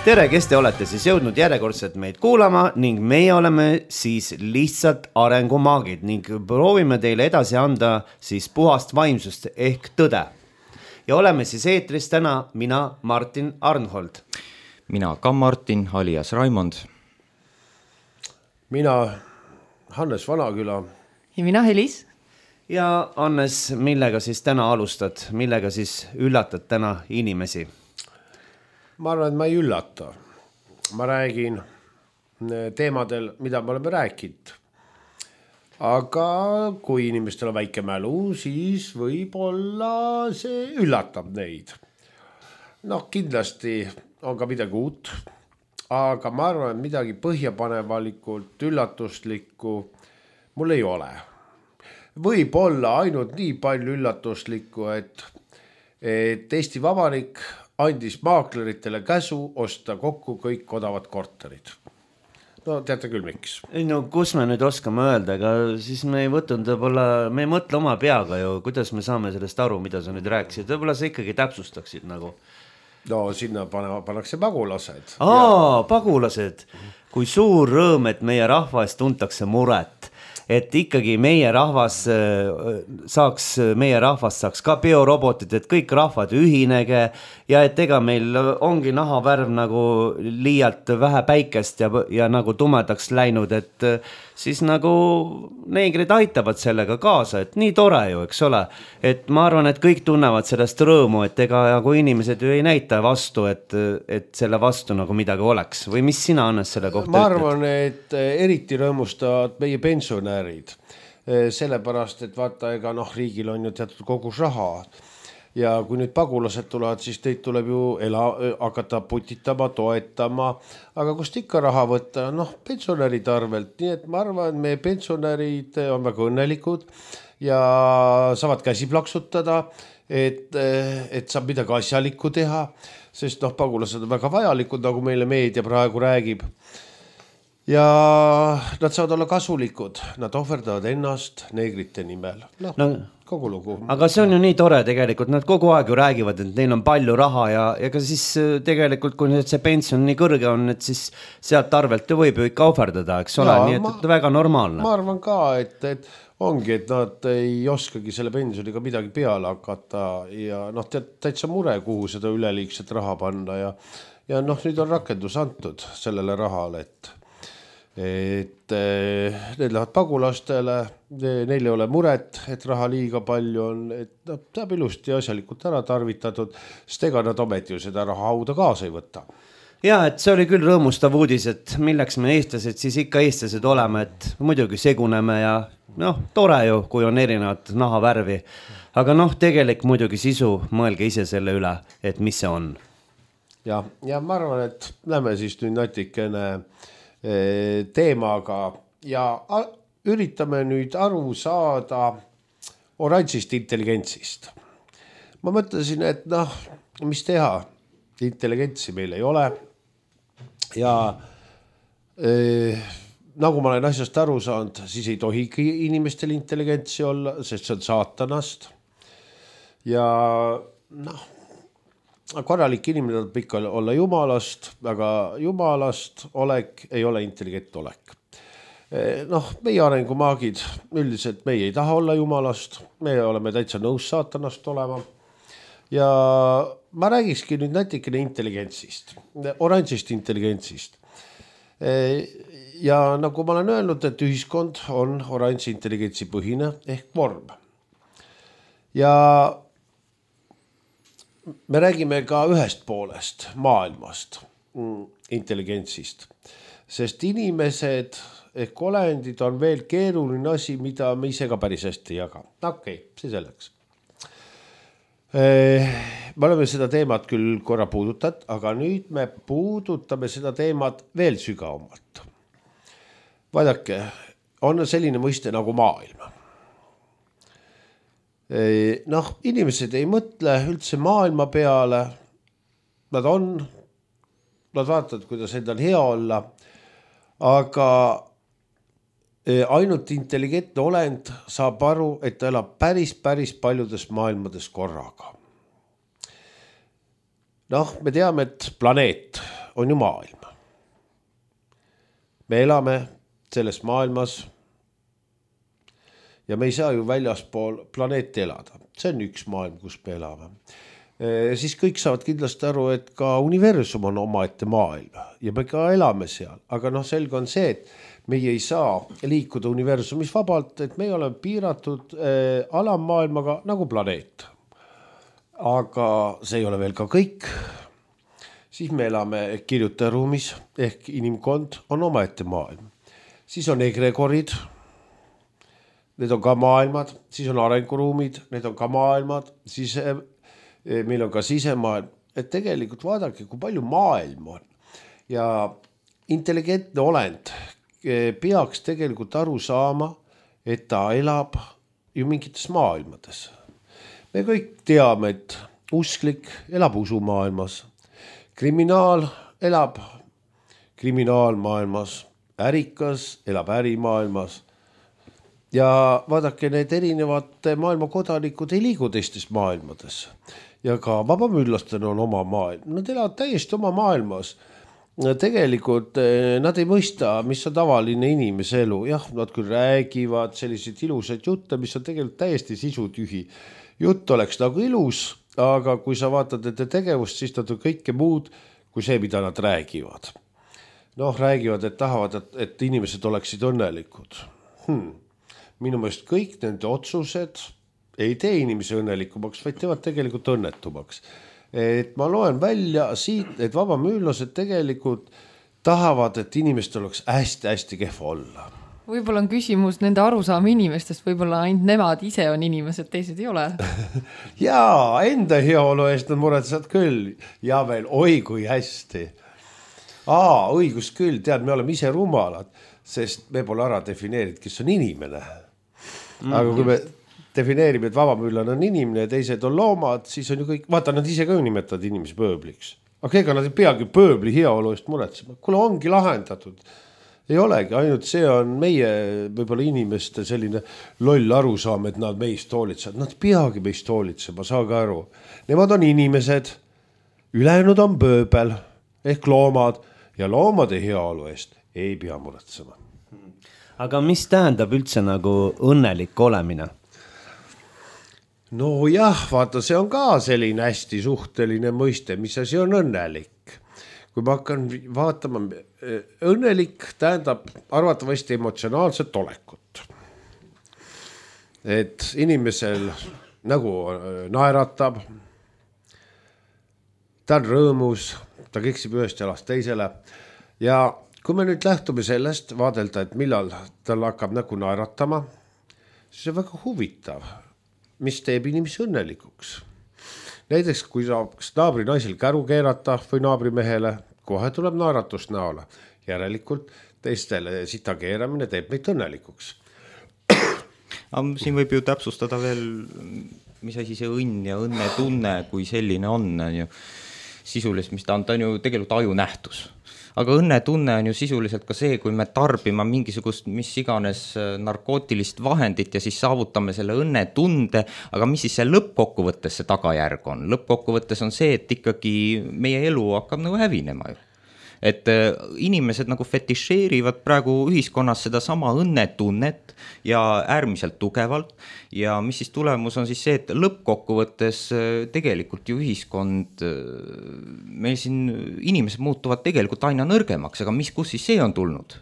Tere, kes te olete siis jõudnud järjekordselt meid kuulama ning meie oleme siis lihtsalt arengumaagid ning proovime teile edasi anda siis puhast vaimsust ehk tõde. Ja oleme siis eetris täna mina, Martin Arnhold. Mina ka Martin, alias Raimond. Mina, Hannes Vanaküla. Ja mina, Helis. Ja Hannes, millega siis täna alustad? Millega siis üllatad täna inimesi? Ma arvan, et ma ei üllata. Ma räägin teemadel, mida me oleme rääkinud. Aga kui inimestel on väike mälu, siis võib-olla see üllatab neid. Kindlasti on ka midagi uut, aga ma arvan, et midagi põhjapanevalikult, üllatuslikku mul ei ole. Võib-olla ainult nii palju üllatuslikku, et Eesti Vabariik andis maakleritele käsu osta kokku kõik odavad korterid. Teate küll, miks? Kus me nüüd oskame öelda, aga siis me ei mõtle oma peaga ju, kuidas me saame sellest aru, mida sa nüüd rääkisid. Võib-olla sa ikkagi täpsustaksid nagu. Sinna pannakse pagulased. Pagulased. Kui suur rõõm, et meie rahvas tuntakse muret. Et ikkagi meie rahvas saaks ka biorobotid, et kõik rahvad ühinege ja et ega meil ongi nahavärv nagu liialt vähe päikest ja nagu tumedaks läinud, et siis nagu neegrid aitavad sellega kaasa, et nii tore ju, eks ole. Et ma arvan, et kõik tunnevad sellest rõõmu, et ega nagu inimesed ju ei näita vastu, et selle vastu nagu midagi oleks. Või mis sina, Hannes, selle kohta ütled? Ma arvan, et eriti rõõmustavad meie pensionärid. Sellepärast, et vaata, ega riigil on ju teatud kogus raha. Ja kui nüüd pagulased tulevad, siis teid tuleb ju hakata putitama, toetama. Aga kust ikka raha võtta? Pensionäride arvelt. Nii et ma arvan, et meie pensionärid on väga õnnelikud ja saavad käsi plaksutada, et saab midagi asjalikku teha, sest pagulased on väga vajalikud, nagu meile meedia praegu räägib. Ja nad saavad olla kasulikud, nad ohverdavad ennast neegrite nimel. Kogu lugu. Aga see on ju nii tore tegelikult, nad kogu aeg ju räägivad, et neil on palju raha ja ka siis tegelikult, kui see pension nii kõrge on, et siis sealt arvelt võib ju ikka ohverdada, eks ole, nii et väga normaalne. Ma arvan ka, et ongi, et nad ei oskagi selle pensioniga midagi peale hakata ja täitsa mure, kuhu seda üleliigset raha panna ja nüüd on rakendus antud sellele rahale, et need lähevad pagulastele, neil ei ole muret, et raha liiga palju on, et saab ilusti asjalikult ära tarvitatud, sest ega nad ometi ju seda raha hauda kaasa ei võta. Ja, et see oli küll rõõmustav uudis, et milleks me eestlased siis ikka eestlased oleme, et muidugi seguneme ja tore ju, kui on erinevad nahavärvi, aga tegelik muidugi sisu, mõelge ise selle üle, et mis see on. Ja ma arvan, et lähme siis nüüd natikene teemaga ja üritame nüüd aru saada oranžist intelligentsist. Ma mõtlesin, et mis teha, intelligentsi meil ei ole ja nagu ma olen asjast aru saanud, siis ei tohigi inimestel intelligentsi olla, sest see on saatanast ja korralik inimene tuleb ikka olla jumalast, aga jumalast olek ei ole intelligent olek. Meie arengumaagid, üldiselt meie ei taha olla jumalast, me oleme täitsa nõus saatanast olema ja ma räägikski nüüd natikene intelligentsist, oranžist intelligentsist. Ja nagu ma olen öelnud, et ühiskond on oranži intelligentsi põhine ehk vorm. Ja me räägime ka ühest poolest maailmast, intelligentsist, sest inimesed ehk olendid on veel keeruline asi, mida me ise ka päris hästi ei jaga. See selleks. Me oleme seda teemat küll korra puudutat, aga nüüd me puudutame seda teemat veel sügavamalt. Vaadake, on selline mõiste nagu maailm. Inimesed ei mõtle üldse maailma peale, nad vaatavad, kuidas endal hea olla, aga ainult intelligentne olend saab aru, et ta elab päris paljudes maailmades korraga. Me teame, et planeet on ju maailm. Me elame selles maailmas ja me ei saa ju väljaspool planeeti elada. See on üks maailm, kus me elame. Siis kõik saavad kindlasti aru, et ka universum on omaette maailm ja me ka elame seal. Aga selge on see, et meie ei saa liikuda universumis vabalt, et me oleme piiratud alammaailmaga nagu planeet. Aga see ei ole veel ka kõik. Siis me elame kirjutajaruumis ehk inimkond on omaette maailm. Siis on egregorid, need on ka maailmad, siis on arenguruumid, need on ka maailmad, siis meil on ka sisemaailm, et tegelikult vaadake, kui palju maailm on. Ja intelligentne olend peaks tegelikult aru saama, et ta elab ju mingites maailmades. Me kõik teame, et usklik elab usumaailmas, kriminaal elab kriminaalmaailmas, ärikas elab ärimaailmas. Ja vaadake, need erinevad maailma kodanikud ei liigu teistes maailmades. Ja ka vabamüllastel on oma maailm. Nad elavad täiesti oma maailmas. Tegelikult nad ei mõista, mis on tavaline inimese elu. Jah, nad küll räägivad selliseid ilusad jutte, mis on tegelikult täiesti sisutühi. Jutt oleks nagu ilus, aga kui sa vaatad nende tegevust, siis nad on kõike muud kui see, mida nad räägivad. Räägivad, et tahavad, et inimesed oleksid õnnelikud. Minu meelest kõik nende otsused ei tee inimese õnnelikumaks, vaid teevad tegelikult õnnetumaks. Et ma loen välja siit, et vabamüürlased tegelikult tahavad, et inimestel oleks hästi-hästi kehva olla. Võib-olla on küsimus nende arusaama inimestest, võib-olla ainult nemad ise on inimesed, teised ei ole. Jaa, enda heaolu eest nad muretsed küll. Ja veel, oi kui hästi. Õigus küll, tead, me oleme ise rumalad, sest me pole ära defineerinud, kes on inimene. Aga kui me defineerime, et vabamüürlane on inimene ja teised on loomad, siis on ju kõik, vaata, nad ise ka nimetavad inimesi pööbliks. Aga ega nad ei peagi pööbli heaolu eest muretsema. Kuule, ongi lahendatud. Ei olegi, ainult see on meie võib-olla inimeste selline loll arusaam, et nad meist hoolitsevad. Nad peagi meist hoolitsema, saage aru. Nemad on inimesed, ülejäänud on pööbel ehk loomad ja loomade heaolu eest ei pea muretsema. Aga mis tähendab üldse nagu õnnelik olemine? Jah, vaata, see on ka selline hästi suhteline mõiste, mis asi on õnnelik. Kui ma hakkan vaatama, õnnelik tähendab arvatavasti emotsionaalset olekut. Et inimesel nagu naeratab, ta on rõõmus, ta keksib ühest jalast teisele ja kui me nüüd lähtume sellest vaadelda, et millal tal hakkab nägu naeratama, siis on väga huvitav, mis teeb inimesi õnnelikuks. Näiteks, kui saaks naabri naisel käru keerata või naabrimehele, kohe tuleb naeratus näole. Järelikult teistele sita keeramine teeb meid õnnelikuks. Siin võib ju täpsustada veel, mis asi see õnn ja õnnetunne, kui selline on ju sisuliselt, mis ta on ju tegelikult aju nähtus. Aga õnnetunne on ju sisuliselt ka see, kui me tarbime mingisugust mis iganes narkootilist vahendit ja siis saavutame selle õnnetunde, aga mis siis see lõppkokkuvõttes see tagajärg on? Lõppkokkuvõttes on see, et ikkagi meie elu hakkab nagu hävinema ju. Et inimesed nagu fetišeerivad praegu ühiskonnas seda sama õnnetunnet ja äärmiselt tugevalt ja mis siis tulemus on siis see, et lõppkokkuvõttes tegelikult ju ühiskond, meil siin inimesed muutuvad tegelikult aina nõrgemaks, aga kus siis see on tulnud?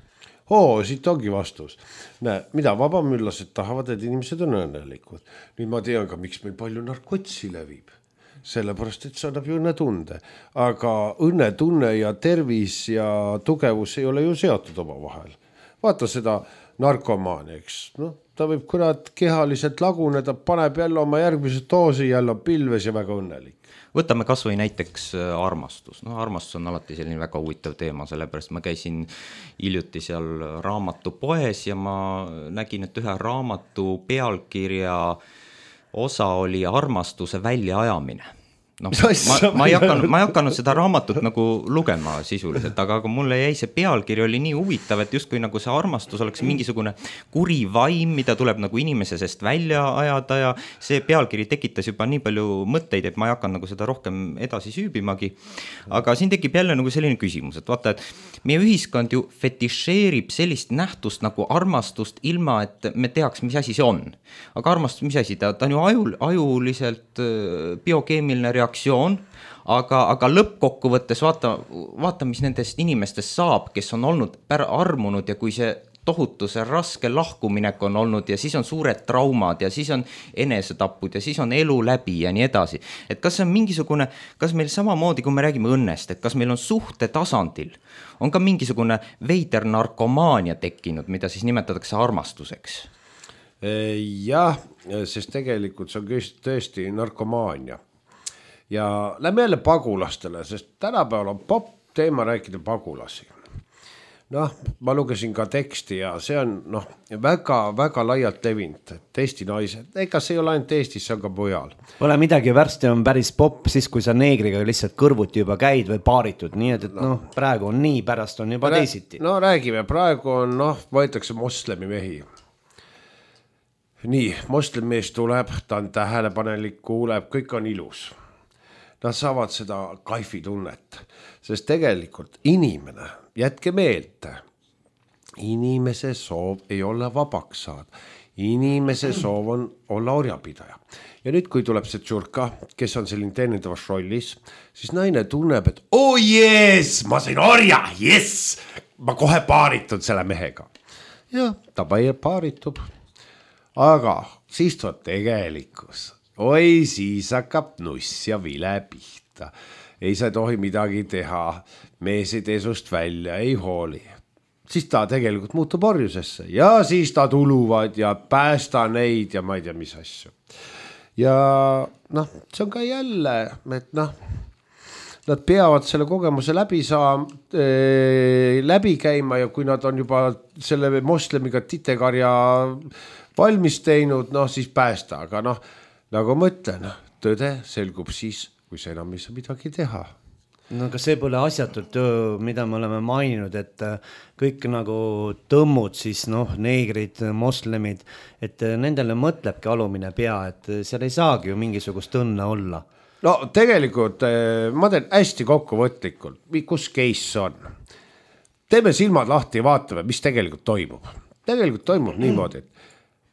Siit ongi vastus. Näe, mida vabamüllased tahavad, et inimesed on õnnelikud. Nüüd ma tean ka, miks meil palju narkotsi levib. Sellepärast, et see annab ju õnnetunde. Aga õnnetunne ja tervis ja tugevus ei ole ju seotud oma vahel. Vaata seda narkomaani, eks. Ta võib kurat kehaliselt laguneda, paneb jälle oma järgmise doosi, jälle pilves ja väga õnnelik. Võtame kas või näiteks armastus. Armastus on alati selline väga huvitav teema, sellepärast ma käisin hiljuti seal raamatupoes ja ma nägin, et ühe raamatu pealkirja osa oli armastuse väljaajamine. noh, ma ei hakanud seda raamatut nagu lugema sisuliselt, aga mulle jäi see pealkiri oli nii huvitav, et justkui nagu see armastus oleks mingisugune kuri vaim, mida tuleb nagu inimese seest välja ajada ja see pealkiri tekitas juba nii palju mõtteid, et ma ei hakanud nagu seda rohkem edasi süübimagi. Aga siin tekib jälle nagu selline küsimus, et vaata, et meie ühiskond ju fetišeerib sellist nähtust nagu armastust ilma, et me teaks, mis asi see on. Aga armastus, mis asi, ta on ju ajuliselt biokeemiline reaktsioon, aga lõppkokkuvõttes vaata, mis nendest inimestest saab, kes on olnud armunud ja kui see tohutu see raske lahkuminek on olnud ja siis on suured traumad ja siis on enesetapud ja siis on elu läbi ja nii edasi. Et kas see on mingisugune, kas meil samamoodi, kui me räägime õnnest, et kas meil on suhte tasandil, on ka mingisugune veider narkomaania tekkinud, mida siis nimetatakse armastuseks? Jah, sest tegelikult see on tõesti narkomaania. Ja lähme jälle pagulastele, sest tänapäeval on popp teema rääkida pagulasi. Noh, ma lugesin ka teksti ja see on väga laialt levinud, et Eesti naised, ega see ei ole ainult Eestis, see on ka mujal. Pole midagi, värsti on päris popp siis, kui sa neegriga lihtsalt kõrvuti juba käid või paaritud, nii et praegu on nii, pärast on juba teisiti. No räägime, praegu on, võetakse moslemi mehi. Nii, moslemmees tuleb, ta on tähelepanelik, kuuleb, kõik on ilus. Nad saavad seda kaifitunnet, sest tegelikult inimene, jätke meelde, inimese soov ei olla vabaks saada. Inimese soov on olla orjapidaja. Ja nüüd, kui tuleb see tšurka, kes on selline teenindavas rollis, siis naine tunneb, et yes, ma sain orja, yes, ma kohe paaritun selle mehega. Ja ta paaritub. Aga siis tuleb tegelikkus. Oi, siis hakkab nuss ja vile pihta. Ei sa tohi midagi teha. Mees ei tee sust välja, ei hooli. Siis ta tegelikult muutub orjusesse. Ja siis ta tuluvad ja päästa neid ja ma ei tea, mis asju. Ja see on ka jälle, et nad peavad selle kogemuse läbi käima ja kui nad on juba selle moslemiga titekarja valmis teinud, siis päästa, aga nagu ma ütlen, tõde selgub siis, kui see enam ei saa midagi teha. No aga see pole asjatult, mida me oleme maininud, et kõik nagu tõmmud siis, neegrid, moslemid, et nendele mõtlebki alumine pea, et seal ei saagi ju mingisugust õnne olla. No tegelikult ma teen hästi kokkuvõtlikult, kus case on. Teeme silmad lahti ja vaatame, mis tegelikult toimub. Tegelikult toimub niimoodi, et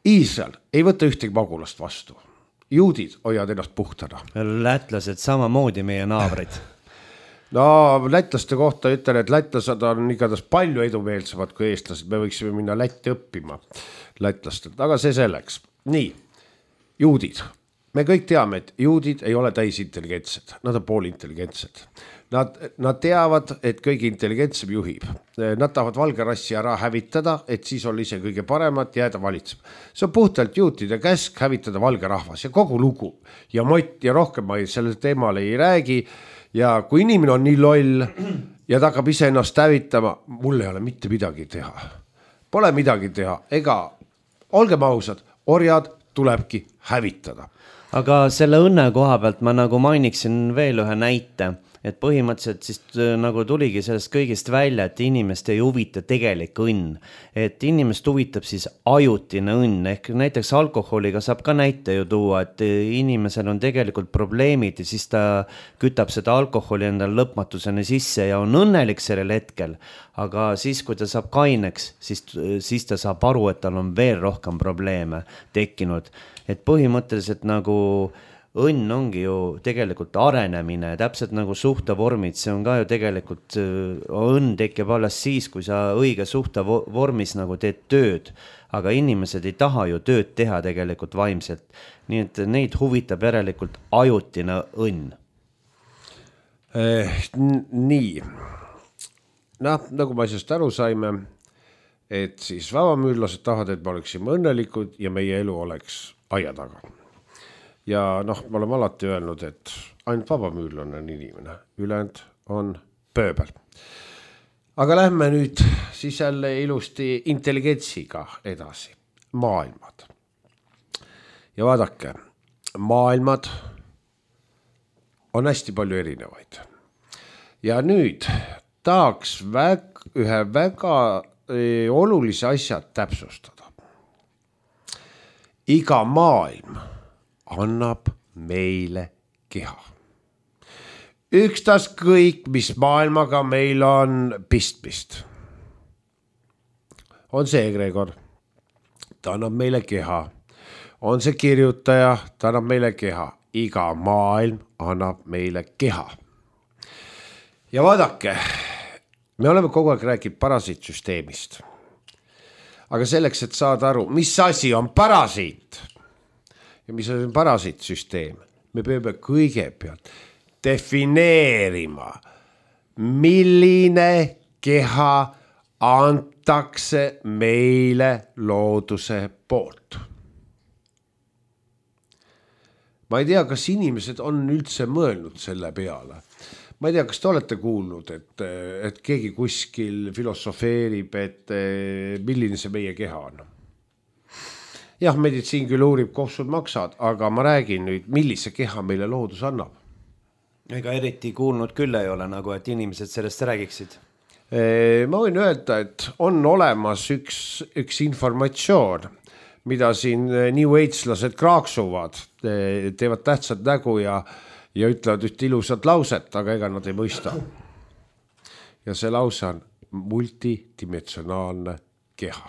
Iisrael ei võta ühtegi pagulast vastu. Juudid hoiavad ennast puhtana. Lätlased samamoodi meie naabrid. No lätlaste kohta ütlen, et lätlased on igatahes palju edumeelsemad kui eestlased. Me võiksime minna Lätti õppima lätlastelt, aga see selleks. Nii, juudid. Me kõik teame, et juudid ei ole täisintelligentsed, nad on poolintelligentsed. Nad teavad, et kõige intelligentsem juhib. Nad tahavad valge rassi ära hävitada, et siis on ise kõige paremat jääda valitsema. See on puhtalt juutide käsk hävitada valge rahvas ja kogu lugu. Ja Mott ja rohkem ma sellel teemal ei räägi. Ja kui inimene on nii loll ja ta hakkab ise ennast hävitama, mul ei ole mitte midagi teha. Pole midagi teha. Ega, olgem ausad, orjad tulebki hävitada. Aga selle õnne koha pealt ma nagu mainiksin veel ühe näite, et põhimõtteliselt siis nagu tuligi sellest kõigist välja, et inimest ei huvita tegelik õnn. Et inimest huvitab siis ajutine õnn, ehk näiteks alkoholiga saab ka näite ju tuua, et inimesel on tegelikult probleemid ja siis ta kütab seda alkoholi endal lõpmatuseni sisse ja on õnnelik sellel hetkel. Aga siis, kui ta saab kaineks, siis ta saab aru, et tal on veel rohkem probleeme tekkinud. Et põhimõtteliselt nagu õnn ongi ju tegelikult arenemine, täpselt nagu suhtevormid, see on ka ju tegelikult, õnn tekib alles siis, kui sa õige suhtevormis nagu teed tööd, aga inimesed ei taha ju tööd teha tegelikult vaimselt, nii et neid huvitab järelikult ajutine õnn. Nii, nagu ma asjast aru saime, et siis vabamüürlased tahavad, et me oleksime õnnelikud ja meie elu oleks aia taga. Ja me oleme alati öelnud, et ainult vabamüürlane on inimene, ülejäänud on pööbel. Aga lähme nüüd siis jälle ilusti intelligentsiga edasi. Maailmad. Ja vaadake, maailmad on hästi palju erinevaid. Ja nüüd tahaks ühe väga olulise asja täpsustada. Iga maailm annab meile keha. Ükstaskõik, mis maailmaga meil on pistmist. On see Gregor, ta annab meile keha. On see kirjutaja, ta annab meile keha. Iga maailm annab meile keha. Ja vaadake, me oleme kogu aeg rääkinud parasiitsüsteemist. Aga selleks, et saada aru, mis asi on parasiit ja mis on parasiitsüsteem, me peame kõigepealt defineerima, milline keha antakse meile looduse poolt. Ma ei tea, kas inimesed on üldse mõelnud selle peale. Ma ei tea, kas te olete kuulnud, et keegi kuskil filosofeerib, et milline see meie keha on. Jah, meditsiin küll uurib, kohsud maksad, aga ma räägin nüüd, millise keha meile loodus annab. Ega eriti kuulnud küll ei ole, nagu et inimesed sellest räägiksid. Ma võin öelda, et on olemas üks informatsioon, mida siin New Age'lased kraaksuvad, teevad tähtsad nägu ja ütlevad üht ilusat lauset, aga ega nad ei mõista. Ja see lause on multidimensionaalne keha.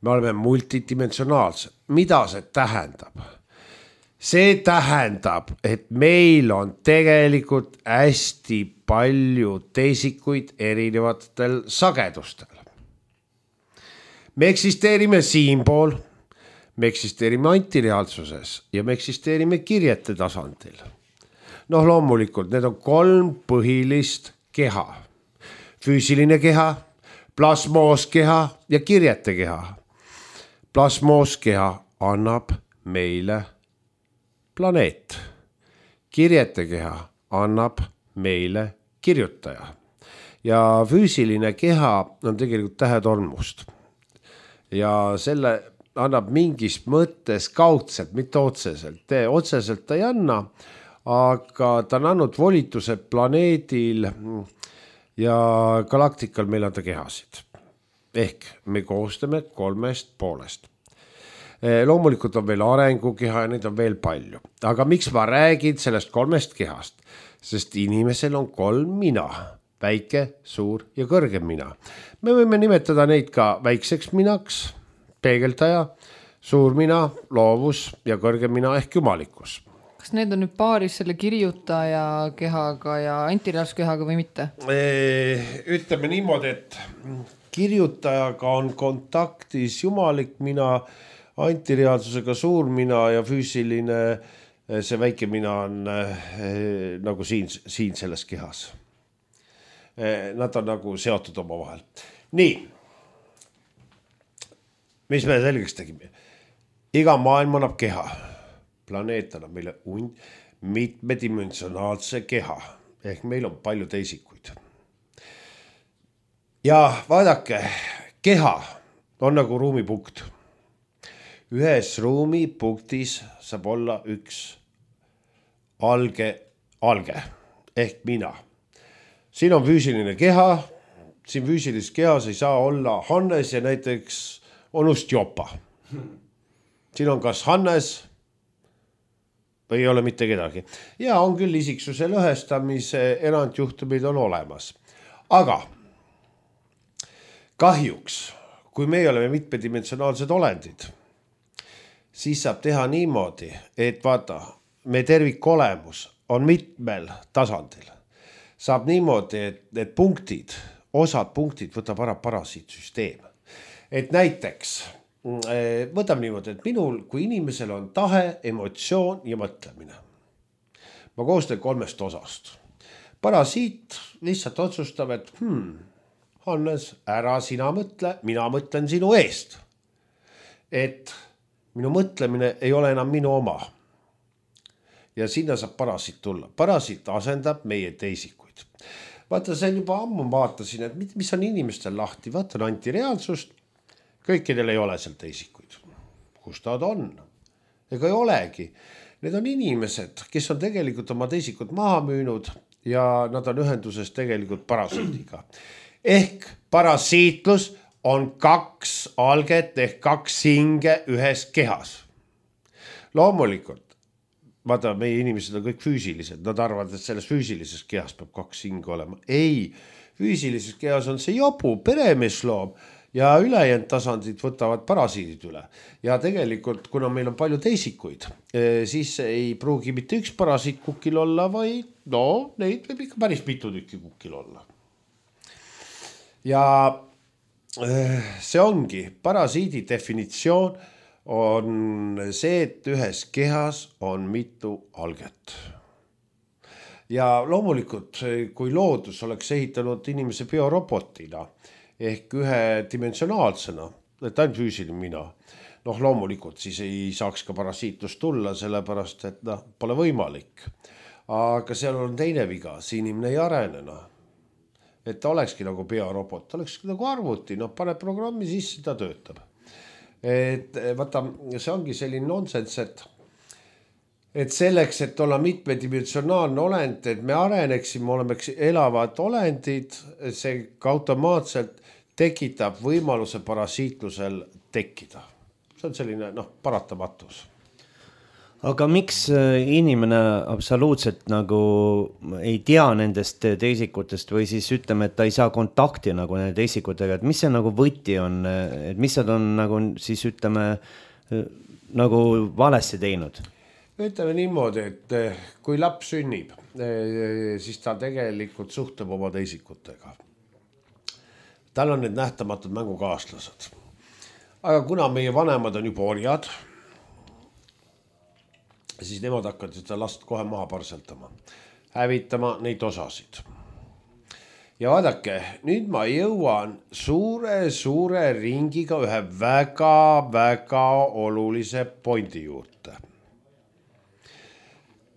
Me oleme multidimensionaalsed. Mida see tähendab? See tähendab, et meil on tegelikult hästi palju teisikuid erinevatel sagedustel. Me eksisteerime siinpool, me eksisteerime antireaalsuses ja me eksisteerime kirjete tasandil. Noh, loomulikult, need on 3 põhilist keha. Füüsiline keha, plasmooskeha ja kirjete keha. Plasmooskeha annab meile planeet. Kirjete keha annab meile kirjutaja. Ja füüsiline keha on tegelikult tähetolmust. Ja selle annab mingis mõttes kaudselt, mitte otseselt. Otseselt ta ei anna, aga ta on andnud volituse planeedil ja galaktikal meil anda kehasid. Ehk me koostame 3 poolest. Loomulikult on veel arengukeha ja neid on veel palju. Aga miks ma räägin sellest 3 kehast? Sest inimesel on 3 mina. Väike, suur ja kõrgem mina. Me võime nimetada neid ka väikseks minaks, peegeldaja, suur mina, loovus ja kõrgem mina ehk jumalikkus. Kas need on nüüd paaris selle kirjutaja kehaga ja antireaalsuskehaga või mitte? Ütleme niimoodi, et kirjutajaga on kontaktis jumalik mina, antireaalsusega suur mina ja füüsiline, see väike mina on nagu siin selles kehas. Nad on nagu seotud oma vahel. Nii, mis me selgeks tegime? Iga maailm annab keha. Planeet annab meile mitmedimensionaalse keha. Ehk meil on palju teisikuid. Ja vaadake, keha on nagu ruumipunkt. Ühes ruumipunktis saab olla üks alge ehk mina. Siin on füüsiline keha, siin füüsilises kehas ei saa olla Hannes ja näiteks onust Jopa. Siin on kas Hannes või ei ole mitte kedagi. Ja on küll isiksuse lõhestamise erandjuhtumid on olemas. Aga kahjuks, kui me oleme mitmedimensionaalsed olendid, siis saab teha niimoodi, et vaata, me tervikolemus on mitmel tasandil. Saab niimoodi, et punktid, osad punktid võtab ära parasiitsüsteem. Et näiteks, võtame niimoodi, et minul kui inimesel on tahe, emotsioon ja mõtlemine. Ma koostan 3 osast. Parasiit lihtsalt otsustab, et Hannes, ära sina mõtle, mina mõtlen sinu eest. Et minu mõtlemine ei ole enam minu oma. Ja sinna saab parasiit tulla. Parasiit asendab meie teisikuid. Vaata, see on juba ammu vaatasin, et mis on inimestel lahti. Vaata, on antireaalsust. Kõikidel ei ole seal teisikuid. Kus ta on? Ega ei olegi. Need on inimesed, kes on tegelikult oma teisikut maha müünud ja nad on ühenduses tegelikult parasiidiga. Ehk parasiitlus on 2 alget ehk 2 hinge ühes kehas. Loomulikult, vaata, meie inimesed on kõik füüsilised, nad arvavad, et selles füüsilises kehas peab 2 hinge olema. Ei, füüsilises kehas on see jobu, peremeesloom ja ülejäänud tasandid võtavad parasiidid üle. Ja tegelikult, kuna meil on palju teisikuid, siis ei pruugi mitte üks parasiit kukil olla, vaid neid võib ikka päris mitu tükki kukil olla. Ja see ongi, parasiidi definitsioon on see, et ühes kehas on mitu alget. Ja loomulikult, kui loodus oleks ehitanud inimese biorobotina ehk ühedimensionaalsena, et ainult füüsiline mina, loomulikult siis ei saaks ka parasiitlust tulla, sellepärast, et pole võimalik. Aga seal on teine viga, see inimene ei arenena. Et ta olekski nagu biorobot, ta oleks nagu arvuti, pane programmi sisse, ta töötab. Et vaata, see ongi selline nonsens, et selleks, et olla mitmedimensionaalne olend, et me areneksime, oleme elavad olendid, see automaatselt tekitab võimaluse parasiitlusel tekkida. See on selline paratamatus. Aga miks inimene absoluutselt nagu ei tea nendest teisikutest või siis ütleme, et ta ei saa kontakti nagu nende teisikutega, et mis see nagu võti on, et mis nad on nagu siis ütleme nagu valesti teinud? Ütleme niimoodi, et kui laps sünnib, siis ta tegelikult suhtleb oma teisikutega. Tal on need nähtamatud mängukaaslased. Aga kuna meie vanemad on juba orjad, siis nemad hakkavad seda last kohe maha parseltama, hävitama neid osasid. Ja vaadake, nüüd ma jõuan suure ringiga ühe väga olulise pointi juurde.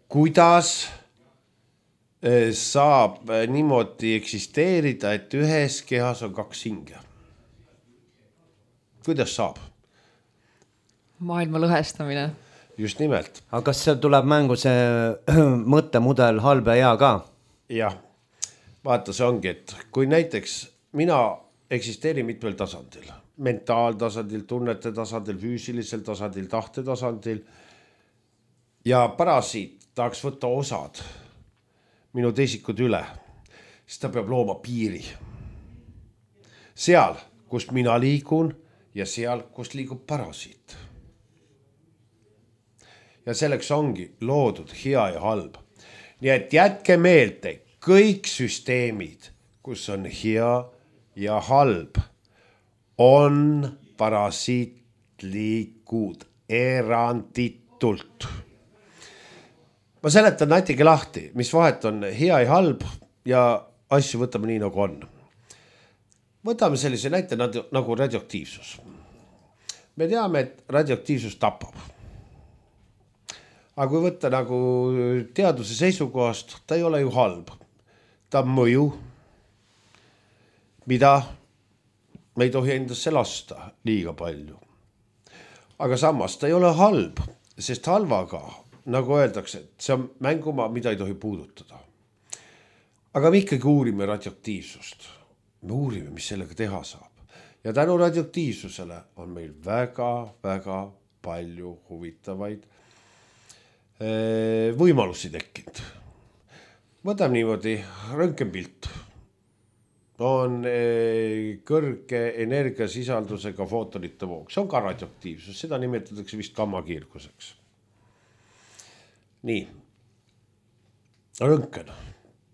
Kuidas saab niimoodi eksisteerida, et ühes kehas on 2 hinge? Kuidas saab? Maailma lõhestamine. Just nimelt. Aga kas seal tuleb mängu see mõttemudel halb ja hea ka? Jah, vaata, see ongi, et kui näiteks mina eksisteerin mitmel tasandil, mentaaltasandil, tunnete tasandil, füüsilisel tasandil, tahte tasandil ja parasiit tahaks võtta osad minu teisikud üle, siis ta peab looma piiri. Seal, kust mina liigun ja seal, kust liigub parasiit. Ja selleks ongi loodud hea ja halb. Nii et jätke meelde, kõik süsteemid, kus on hea ja halb, on parasiitlikud eranditult. Ma seletan natuke lahti, mis vahet on hea ja halb ja asju võtame nii nagu on. Võtame sellise näite nagu radioaktiivsus. Me teame, et radioaktiivsus tapab. Aga kui võtta nagu teaduse seisukohast, ta ei ole ju halb. Ta on mõju, mida me ei tohi endasse lasta liiga palju. Aga samas ta ei ole halb, sest halvaga, nagu öeldakse, et see on mängumaa, mida ei tohi puudutada. Aga me ikkagi uurime radioaktiivsust. Me uurime, mis sellega teha saab. Ja tänu radioaktiivsusele on meil väga palju huvitavaid võimalusi tekkinud. Võtame niimoodi, röntgenpilt on kõrge energiasisaldusega footonite voog. See on ka radioaktiivsus, seda nimetatakse vist gammakiirguseks. Nii, röntgen,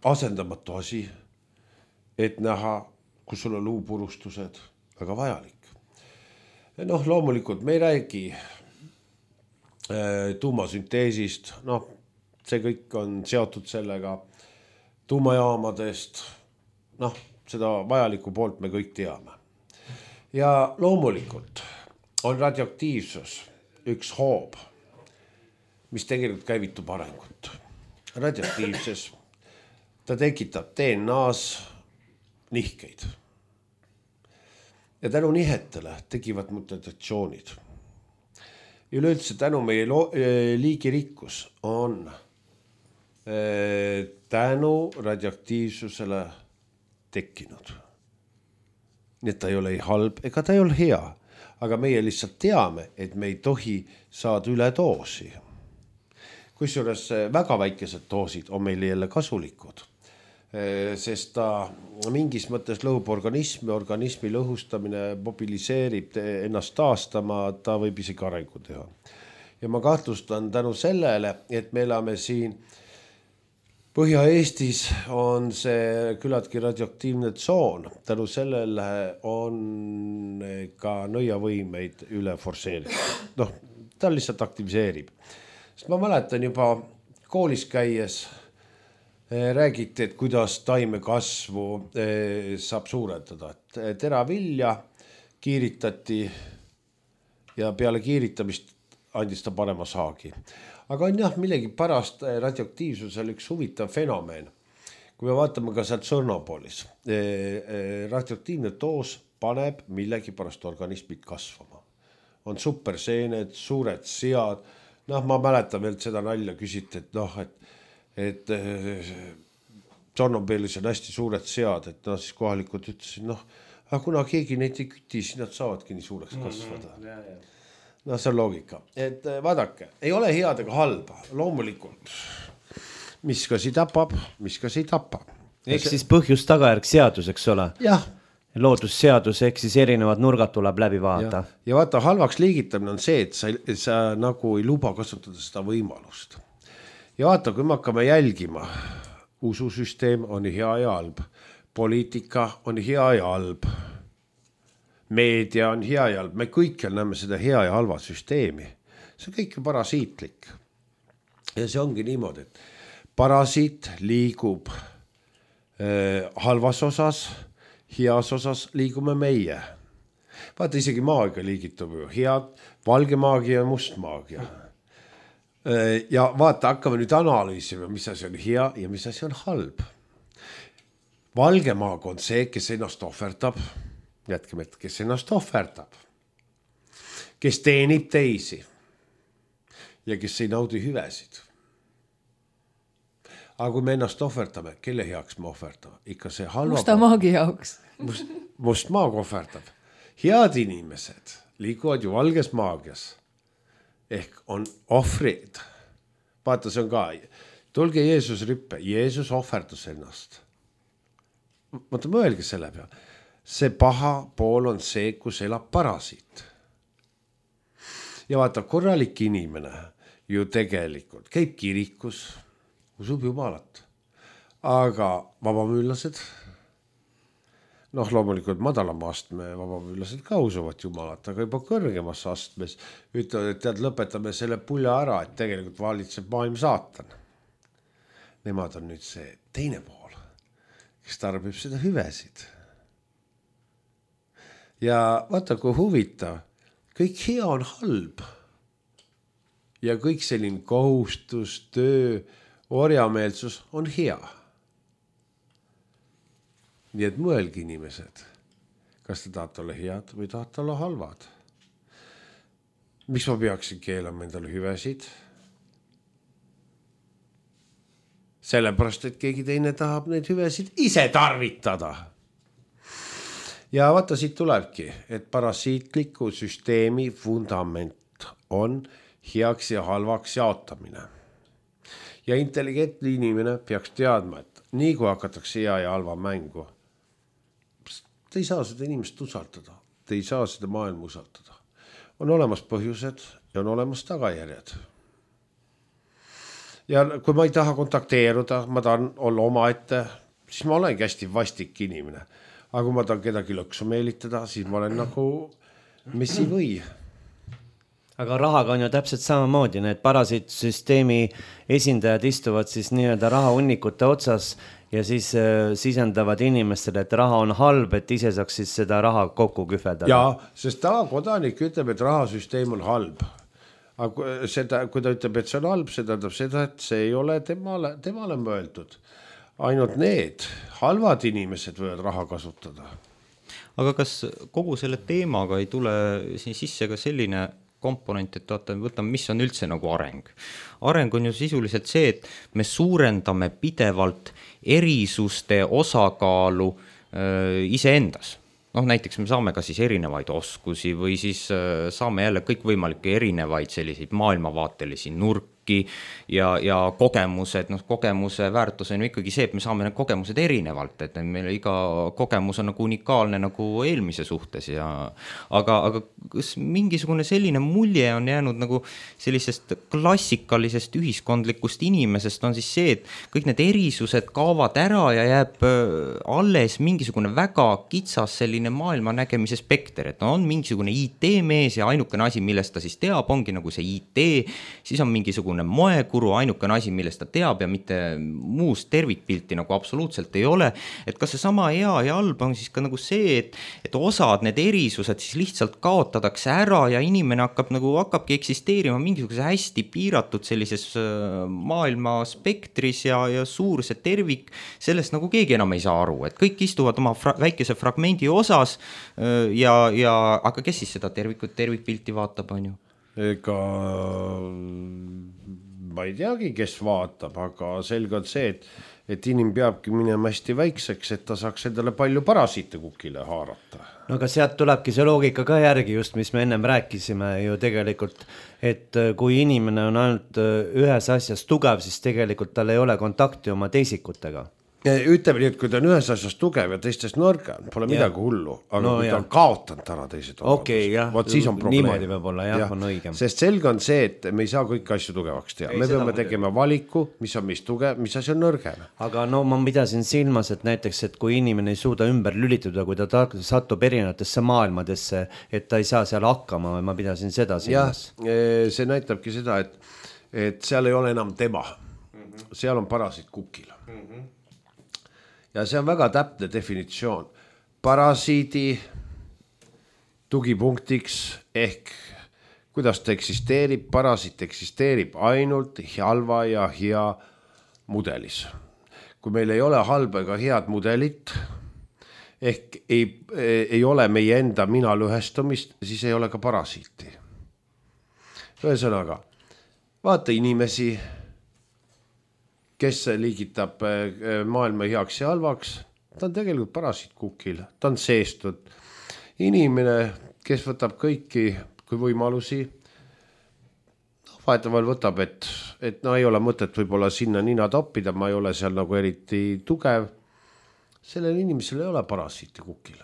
asendamatu asi, et näha, kus sul on luupurustused, väga vajalik. Loomulikult me ei räägi tuumasünteesist, see kõik on seotud sellega, tuumajaamadest, seda vajalikku poolt me kõik teame. Ja loomulikult on radioaktiivsus üks hoob, mis tegelikult käivitub arengut. Radioaktiivses, ta tekitab DNA-s nihkeid. Ja tänu nihetele tekivad mutatsioonid. üleüldse tänu meie liigirikkus on tänu radioaktiivsusele tekkinud. Nii et ta ei ole ei halb ega ta ei ole hea, aga meie lihtsalt teame, et me ei tohi saada üle doosi. Kusjuures väga väikesed doosid on meile jälle kasulikud, sest ta mingis mõttes lõhub organismi lõhustamine mobiliseerib ennast taastama, ta võib isegi arengu teha. Ja ma kahtlustan tänu sellele, et me elame siin Põhja-Eestis on see küllaltki radioaktiivne tsoon, tänu sellele on ka nõiavõimeid üle forsseeritud. Noh, ta lihtsalt aktiviseerib. Sest ma mäletan juba koolis käies räägiti, et kuidas taimekasvu saab suurendada. Teravilja kiiritati ja peale kiiritamist andis ta parema saagi. Aga on jah, millegi pärast radioaktiivsusel üks huvitav fenomen. Kui me vaatame ka sealt Sõrnopolis, radioaktiivne doos paneb millegi pärast organismid kasvama. On superseened, suured sead. Noh, ma mäletan veel seda nalja küsiti, et Sõrnopolis on hästi suured sead, et siis kohalikud ütlesid, aga kuna keegi neid ei küti, siis nad saavadki nii suureks kasvada. No see on loogika, et vaadake, ei ole head ega halba, loomulikult, mis kas ei tapab, mis kas ei tapa. Ehk siis põhjus tagajärg seadus, eks ole? Jah. Loodusseadus, ehk siis erinevad nurgad tuleb läbi vaata. Ja vaata, halvaks liigitamine on see, et sa nagu ei luba kasutada seda võimalust. Ja vaata, kui me hakkame jälgima, ususüsteem on hea ja halb, poliitika on hea ja halb, meedia on hea ja halb, me kõikjal näeme seda hea ja halva süsteemi. See on kõik parasiitlik. Ja see ongi niimoodi, et parasiit liigub halvas osas, heas osas liigume meie. Vaata, isegi maagia liigitub ju head, valge maagia ja must maagia. Ja vaata, hakkame nüüd analüüsima, mis asi on hea ja mis asi on halb. Valge maag on see, kes ennast ohverdab. Jätkime, et kes ennast ohverdab, kes teenib teisi ja kes ei naudi hüvesid. Aga kui me ennast ohverdame, kelle heaks me ohverdame? Ikka see halva musta maagi jaoks. Must maag ohverdab. Head inimesed liiguvad ju valges maagias. Ehk on ohvrid. Vaata, see on ka. Tulge Jeesus rippe. Jeesus ohverdas ennast. Vaata, mõelge selle peale. See paha pool on see, kus elab parasiit. Ja vaata, korralik inimene ju tegelikult käib kirikus, usub Jumalat. Aga vabamüüllased, loomulikult madalama astme vabamüüllased ka usuvad Jumalat, aga juba kõrgemas astmes ütlevad, et lõpetame selle pulja ära, et tegelikult valitseb maailm saatan. Nemad on nüüd see teine pool, kes tarbib seda hüvesid. Ja vaata, kui huvitav, kõik hea on halb. Ja kõik selline kohustus, töö, orjameelsus on hea. Nii et mõelge inimesed, kas te tahate olla head või tahate olla halvad. Miks ma peaksin keelama endale hüvesid? Sellepärast, et keegi teine tahab neid hüvesid ise tarvitada. Ja vaata, siit tulebki, et parasiitliku süsteemi fundament on heaks ja halvaks jaotamine. Ja intelligentne inimene peaks teadma, et nii kui hakatakse hea ja halva mängu, te ei saa seda inimest usaldada, te ei saa seda maailma usaldada. On olemas põhjused ja on olemas tagajärjed. Ja kui ma ei taha kontakteeruda, ma tahan olla omaette, siis ma olengi hästi vastik inimene. Aga kui ma tahan kedagi lõksu meelitada, siis ma olen nagu messi või. Aga rahaga on ju täpselt samamoodi, need parasiitsüsteemi esindajad istuvad siis nii-öelda rahahunnikute otsas ja siis sisendavad inimestele, et raha on halb, et ise saaks siis seda raha kokku kühveldada. Jaa, sest tavakodanik ütleb, et rahasüsteem on halb. Aga kui ta ütleb, et see on halb, see tähendab seda, et see ei ole temale mõeldud. Ainult need halvad inimesed võivad raha kasutada. Aga kas kogu selle teemaga ei tule siin sisse ka selline komponent, et võtame, mis on üldse nagu areng. Areng on ju sisuliselt see, et me suurendame pidevalt erisuste osakaalu iseendas. Näiteks me saame ka siis erinevaid oskusi või siis saame jälle kõikvõimalikke erinevaid selliseid maailmavaatelisi nurki ja kogemused, kogemuse väärtus on ju ikkagi see, et me saame need kogemused erinevalt, et meil iga kogemus on nagu unikaalne nagu eelmise suhtes aga kas mingisugune selline mulje on jäänud nagu sellisest klassikalisest ühiskondlikust inimesest on siis see, et kõik need erisused kaovad ära ja jääb alles mingisugune väga kitsas selline maailma nägemise spekter, et on mingisugune IT-mees ja ainukene asi, millest ta siis teab, ongi nagu see IT, siis on mingisugune moekuru, ainukene asi, millest ta teab ja mitte muust tervikpilti nagu absoluutselt ei ole, et kas see sama hea ja halb on siis ka nagu see, et osad need erisused siis lihtsalt kaotatakse ära ja inimene hakkabki eksisteerima mingisuguse hästi piiratud sellises maailma spektris ja suur see tervik, sellest nagu keegi enam ei saa aru, et kõik istuvad oma väikese fragmendi osas aga kes siis seda tervikpilti vaatab, on ju? Ega ma ei teagi, kes vaatab, aga selge on see, et inim peabki minema hästi väikseks, et ta saaks endale palju parasiite kukile haarata. No aga sealt tulebki see loogika ka järgi just, mis me ennem rääkisime ju tegelikult, et kui inimene on ainult ühes asjas tugev, siis tegelikult tal ei ole kontakti oma teisikutega. Ütleme nii, et kui ta on ühes asjas tugev ja teistes nõrga, pole midagi hullu, aga kui ta on kaotanud ära teised omad, siis on probleem. Niimoodi võib olla, on õigem. Sest selge on see, et me ei saa kõiki asju tugevaks teha. Me peame tegema valiku, mis on mis tugev, mis asi on nõrgem. Aga ma pidasin silmas, et näiteks, et kui inimene ei suuda ümber lülituda, kui ta satub erinevatesse maailmadesse, et ta ei saa seal hakkama, ma pidasin seda silmas. See näitabki seda, et seal ei ole enam tema. Seal on parasiit kukil. Ja see on väga täpne definitsioon. Parasiidi tugipunktiks ehk kuidas ta eksisteerib, parasiit eksisteerib ainult halva ja hea mudelis. Kui meil ei ole halba ega head mudelit, ehk ei ole meie enda mina lõhestumist, siis ei ole ka parasiiti. Ühesõnaga, vaata inimesi, kes liigitab maailma heaks ja halvaks, ta on tegelikult parasiit kukil, ta on seestud. Inimene, kes võtab kõiki kui võimalusi, vahetavahel võtab, et ei ole mõtet võib-olla sinna nina toppida, ma ei ole seal nagu eriti tugev. Sellel inimesel ei ole parasiiti kukil.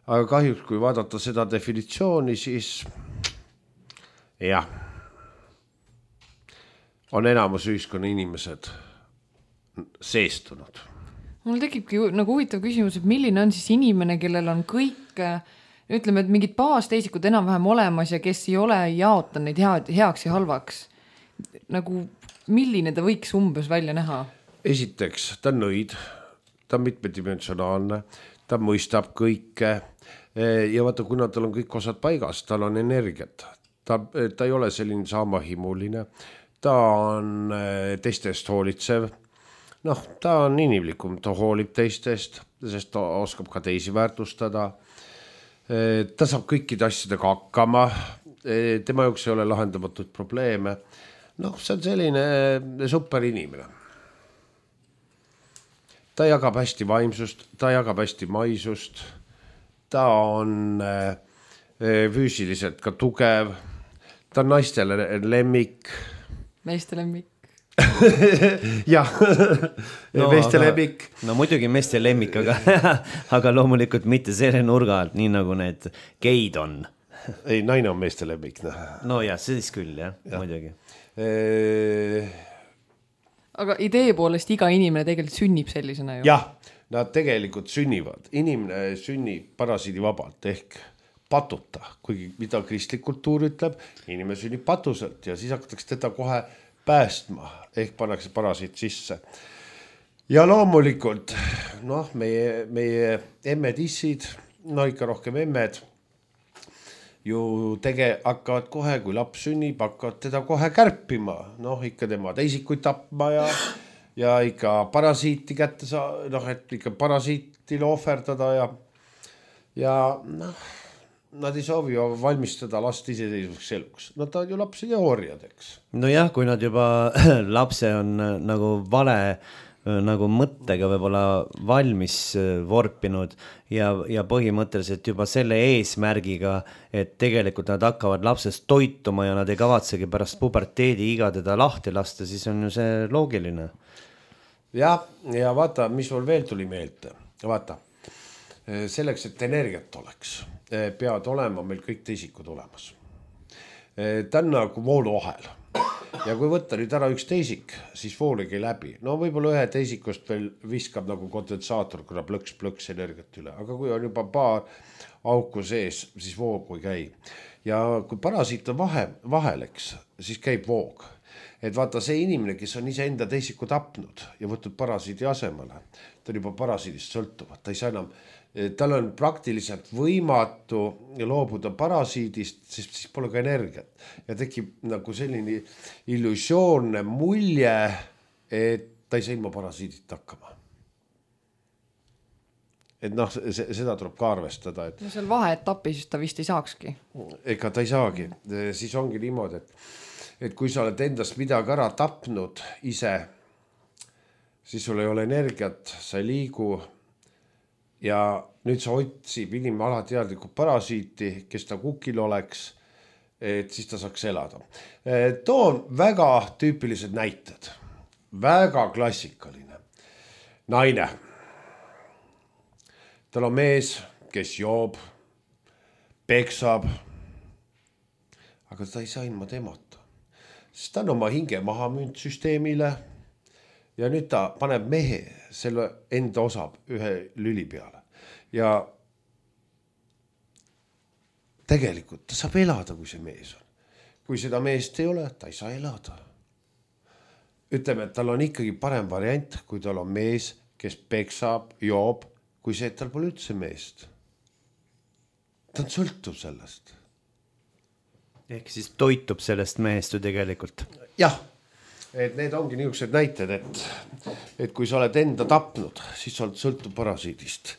Aga kahjuks, kui vaadata seda definitsiooni, siis jah. On enamus ühiskonna inimesed seestunud. Mul tekibki nagu huvitav küsimus, et milline on siis inimene, kellel on kõik, ütleme, et mingid baasteisikud enam-vähem olemas ja kes ei ole jaota neid heaks ja halvaks. Nagu milline ta võiks umbes välja näha? Esiteks, ta on nõid, ta on mitmedimensionaalne, ta mõistab kõike ja vaata, kuna tal on kõik osad paigas, tal on energiat. Ta ei ole selline saamahimuline. Ta on teistest hoolitsev, ta on inimlikum, ta hoolib teistest, sest ta oskab ka teisi väärtustada. Ta saab kõikide asjadega hakkama, tema jaoks ei ole lahendamatud probleeme. See on selline super inimene. Ta jagab hästi vaimsust, ta jagab hästi maisust, ta on füüsiliselt ka tugev, ta on naistele lemmik, meeste lemmik. Jah, meeste lemmik. No muidugi meeste lemmik, aga loomulikult mitte selle nurga alt, nii nagu need geid on. Ei, naine on meeste lemmik. No jah, siis küll, jah. Muidugi. Aga idee poolest iga inimene tegelikult sünnib sellisena ju. Jah, nad tegelikult sünnivad. Inimene sünnib parasiidi vabalt ehk patuta, kuigi mida kristlik kultuur ütleb, inimene sünnib patuselt ja siis hakatakse teda kohe päästma, ehk pannakse parasiit sisse. Ja loomulikult, meie emmed-issid, ikka rohkem emmed, ju hakkavad kohe, kui laps sünnib, hakkavad teda kohe kärpima, ikka tema teisikuid tapma ja ikka parasiiti kätte et ikka parasiitile ohverdada ja nad ei soovi valmistada last iseseisvuks eluks. Nad tahavad ju lapsi ja orjadeks. Nojah, kui nad juba lapse on nagu vale nagu mõttega võib-olla valmis vorpinud ja põhimõtteliselt juba selle eesmärgiga, et tegelikult nad hakkavad lapsest toituma ja nad ei kavatsegi pärast puberteedi iga teda lahti lasta, siis on ju see loogiline. Ja vaata, mis mul veel tuli meelde. Vaata, selleks, et energiat oleks, peavad olema meil kõik teisikud olemas. Ta on nagu vooluahel. Ja kui võtta nüüd ära üks teisik, siis vool ei käi läbi. No võib-olla ühe teisikust veel viskab nagu kondensaator, kuna plõks energiat üle. Aga kui on juba paar auku sees, siis voog ei käi. Ja kui parasiit on vahel, eks, siis käib voog. Et vaata see inimene, kes on ise enda teisiku tapnud ja võtnud parasiidi asemele, ta on juba parasiidist sõltuvad. Ta ei saa enam, tal on praktiliselt võimatu loobuda parasiidist, sest siis pole ka energiat. Ja tekib nagu selline illusioonne mulje, et ta ei saa ilma parasiidit hakkama. Et noh, seda tuleb ka arvestada. Et no seal vaheetapis ta vist ei saakski. Ega ta ei saagi. Siis ongi niimoodi, et kui sa oled endast midagi ära tapnud ise, siis sul ei ole energiat, sa ei liigu. Ja nüüd sa otsib inimene alateadlikult parasiiti, kes ta kukil oleks, et siis ta saaks elada. Toon väga tüüpilised näited. Väga klassikaline. Naine. Tal on mees, kes joob, peksab, aga ta ei saa ilma temata. Sest ta on oma hinge maha müünud süsteemile ja nüüd ta paneb mehe selle enda osab ühe lüli peale. Ja tegelikult ta saab elada, kui see mees on. Kui seda meest ei ole, ta ei saa elada. Ütleme, et tal on ikkagi parem variant, kui tal on mees, kes peksab, joob, kui see, et tal pole üldse meest. Ta on sõltuv sellest. Ehk siis toitub sellest mehest ju tegelikult. Jah, et need ongi niisugused näited, et kui sa oled enda tapnud, siis sa oled sõltuv parasiidist.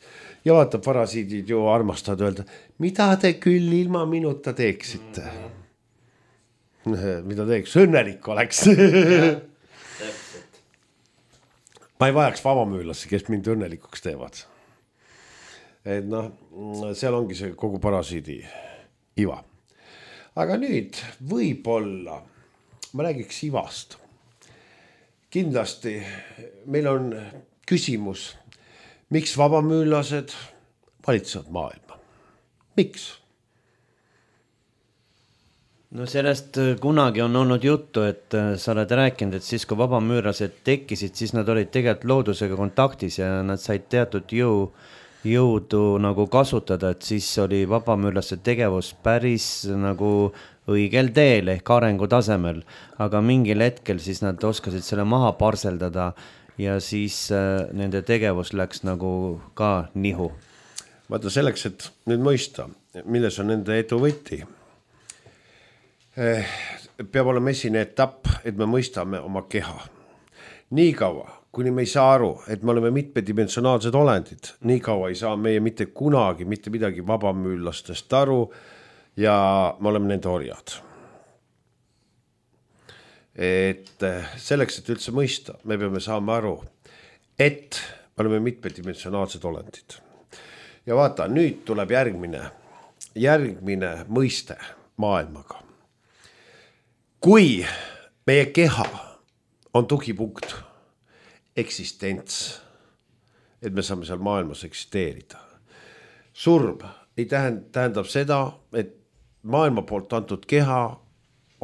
Ja vaata, parasiidid ju armastavad öelda, mida te küll ilma minuta teeksite? Mida teeks? Õnnelik oleks. Ma ei vajaks vabamüülasi, kes mind õnnelikuks teevad. Et noh, seal ongi see kogu parasiidi iva. Aga nüüd võib-olla, ma räägiks ivast. Kindlasti meil on küsimus, miks vabamüülased valitsevad maailma? Miks? No sellest kunagi on olnud juttu, et sa oled rääkinud, et siis kui vabamüürlased tekkisid, siis nad olid tegelikult loodusega kontaktis ja nad said teatud jõudu nagu kasutada, et siis oli vabamüürlaste tegevus päris nagu õigel teel ehk arengu tasemel, aga mingil hetkel siis nad oskasid selle maha parseldada ja siis nende tegevus läks nagu ka nihu. Vaata selleks, et nüüd mõista, milles on nende edu võti. Peab olema esine etapp, et me mõistame oma keha. Nii kaua, kuni me ei saa aru, et me oleme mitmedimensionaalsed olendid, nii kaua ei saa meie mitte kunagi, mitte midagi vabamüüllastest aru ja me oleme nende orjad. Et selleks, et üldse mõista, me peame saama aru, et me oleme mitmedimensionaalsed olendid. Ja vaata, nüüd tuleb järgmine mõiste maailmaga. Kui meie keha on tugipunkt, eksistents, et me saame seal maailmas eksisteerida. Surm ei tähendab seda, et maailma poolt antud keha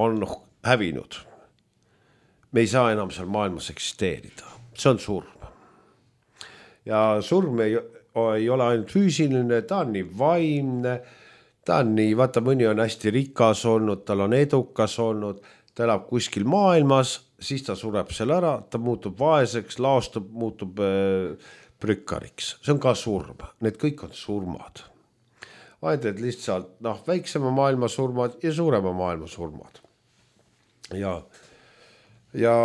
on hävinud. Me ei saa enam seal maailmas eksisteerida. See on surm. Ja surm ei ole ainult füüsiline, ta on nii vaimne, ta on nii, vaata, mõni on hästi rikas olnud, tal on edukas olnud, ta elab kuskil maailmas, siis ta sureb seal ära, ta muutub vaeseks, laastub, muutub prükkariks. See on ka surm. Need kõik on surmad. Vaid, et lihtsalt väiksema maailma surmad ja suurema maailma surmad. Ja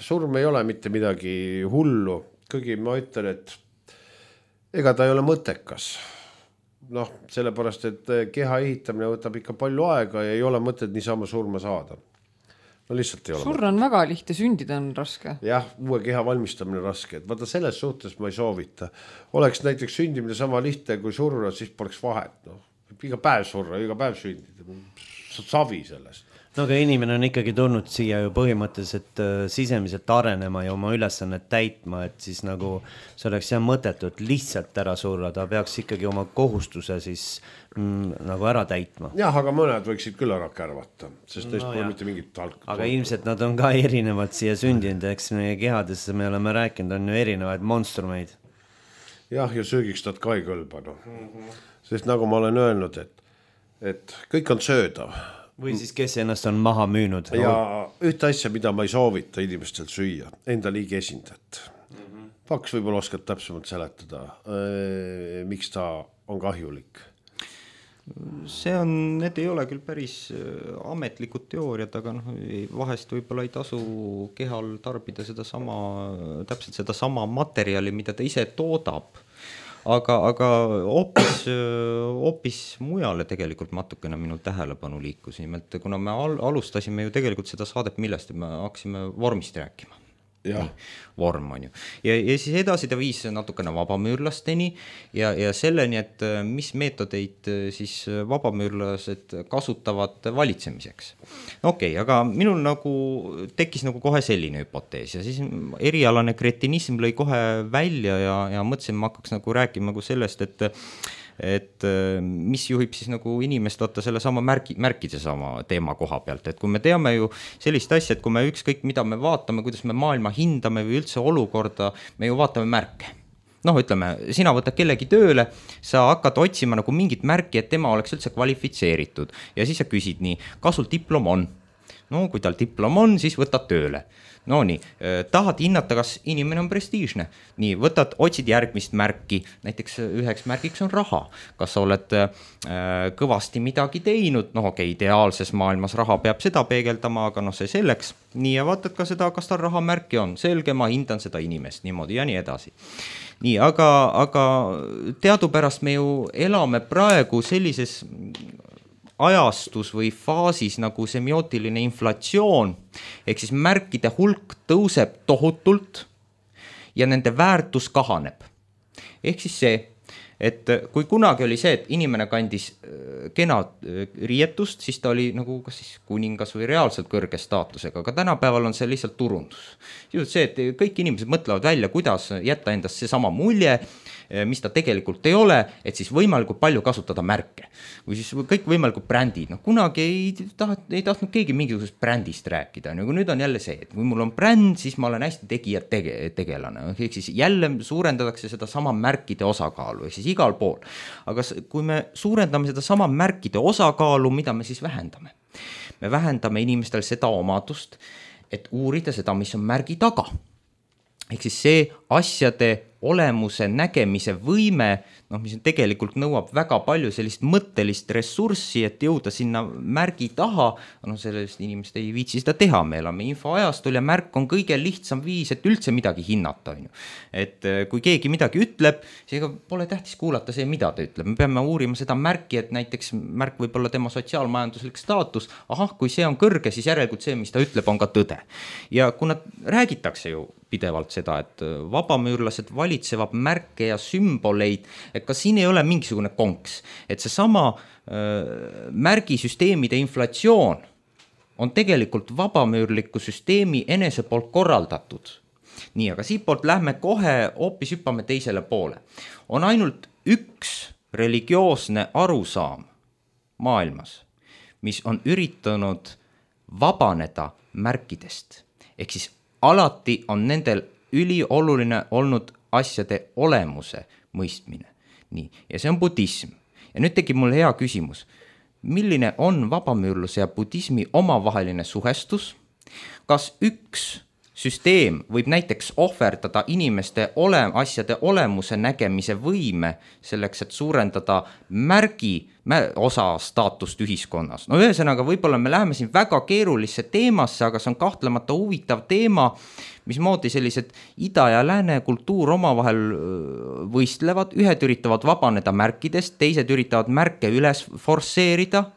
surm ei ole mitte midagi hullu. Kuigi ma ütlen, et ega ta ei ole mõttekas. noh, sellepärast, et keha ehitamine võtab ikka palju aega ja ei ole mõtet niisama surma saada. No lihtsalt ei ole. Surra on väga lihtne, sündida on raske. Jah, uue keha valmistamine raske, et vaata selles suhtes ma ei soovita. Oleks näiteks sündimine sama lihtne kui surra, siis poleks vahet. No, iga päev surra, iga päev sündida. Savi sellest. No aga inimene on ikkagi tulnud siia ju põhimõtteliselt sisemiselt arenema ja oma ülesannet täitma, et siis nagu see oleks jah mõttetult lihtsalt ära surra, ta peaks ikkagi oma kohustuse siis nagu ära täitma. Jah, aga mõned võiksid küll ära kärvata, sest neist pole mitte mingit talk. Aga ilmselt nad on ka erinevad siia sündinud, eks meie kehades me oleme rääkinud, on ju erinevaid monstrumeid. Jah, ja söögiks nad ka ei kõlba, no. Sest nagu ma olen öelnud, et kõik on söödav. Või siis kes ennast on maha müünud. Ja ühte asja, mida ma ei soovita inimestel süüa, enda liigi esindajat. Paks võib-olla oskad täpsemalt seletada, miks ta on kahjulik. Need ei ole küll päris ametlikud teooriad, aga vahest võib-olla ei tasu kehal tarbida täpselt seda sama materjali, mida ta ise toodab. Aga hoopis mujale tegelikult natukene minu tähelepanu liikus. Nimelt, kuna me alustasime ju tegelikult seda saadet, millest me hakkasime vormist rääkima. Vorm on ju. Ja siis edasi ta viis natukene vabamüürlasteni ja selleni, et mis meetodeid siis vabamüürlased kasutavad valitsemiseks. Okei, aga minul nagu tekkis nagu kohe selline hüpotees ja siis erialane kretinism lõi kohe välja ja mõtlesin, ma hakkaks nagu rääkima nagu sellest, et mis juhib siis nagu inimest vaata selle sama märkide sama teema koha pealt, et kui me teame ju sellist asja, et kui me ükskõik mida me vaatame, kuidas me maailma hindame või üldse olukorda, me ju vaatame märke. Ütleme, sina võtad kellegi tööle, sa hakkad otsima nagu mingit märki, et tema oleks üldse kvalifitseeritud ja siis sa küsid nii, kas sul diplom on? No kui tal diplom on, siis võtad tööle. No nii, tahad hinnata, kas inimene on prestiižne. Nii, otsid järgmist märki, näiteks üheks märgiks on raha. Kas sa oled kõvasti midagi teinud? Ideaalses maailmas raha peab seda peegeldama, aga see selleks. Nii, ja vaatad ka seda, kas tal rahamärki on. Selge, ma hindan seda inimest niimoodi ja nii edasi. Nii, aga teadupärast me ju elame praegu sellises ajastus või faasis nagu semiootiline inflatsioon, ehk siis märkide hulk tõuseb tohutult ja nende väärtus kahaneb. Ehk siis see, et kui kunagi oli see, et inimene kandis kena riietust, siis ta oli nagu kas siis kuningas või reaalselt kõrge staatusega, aga tänapäeval on see lihtsalt turundus. See, et kõik inimesed mõtlevad välja, kuidas jätta endast see sama mulje, mis ta tegelikult ei ole, et siis võimalikult palju kasutada märke. Või siis kõik võimalikud brändid. Kunagi ei tahtnud keegi mingisugusest brändist rääkida. Nüüd on jälle see, et kui mul on bränd, siis ma olen hästi tegelane. Ehk siis jälle suurendatakse seda sama märkide osakaalu, ehk siis igal pool. Aga kui me suurendame seda sama märkide osakaalu, mida me siis vähendame? Me vähendame inimestel seda omadust, et uurida seda, mis on märgi taga. Ehk siis see asjade olemuse nägemise võime, mis tegelikult nõuab väga palju sellist mõttelist ressurssi, et jõuda sinna märgi taha, sellest inimest ei viitsi seda teha, me elame infoajastul ja märk on kõige lihtsam viis, et üldse midagi hinnata. Et kui keegi midagi ütleb, seega pole tähtis kuulata see, mida ta ütleb. Me peame uurima seda märki, et näiteks märk võib olla tema sotsiaalmajanduslik staatus, kui see on kõrge, siis järelikult see, mis ta ütleb, on ka tõde. Ja kuna räägitakse ju pidevalt seda, et vabamüürlased valitsevad märke ja sümboleid, et ka siin ei ole mingisugune konks, et see sama märgisüsteemide inflatsioon on tegelikult vabamüürliku süsteemi enese poolt korraldatud. Nii, aga siit poolt lähme kohe hoopis hüppame teisele poole. On ainult üks religioosne arusaam maailmas, mis on üritanud vabaneda märkidest, ehk siis alati on nendel ülioluline olnud asjade olemuse mõistmine. Nii, ja see on budism. Ja nüüd tekib mul hea küsimus. Milline on vabamüürluse ja budismi omavaheline suhestus? Kas üks süsteem võib näiteks ohverdada inimeste asjade olemuse nägemise võime selleks, et suurendada osa staatust ühiskonnas. No ühesõnaga, võib-olla me läheme siin väga keerulisse teemasse, aga see on kahtlemata huvitav teema, mismoodi sellised ida ja lääne kultuur omavahel võistlevad, ühed üritavad vabaneda märkidest, teised üritavad märke üles forsseerida.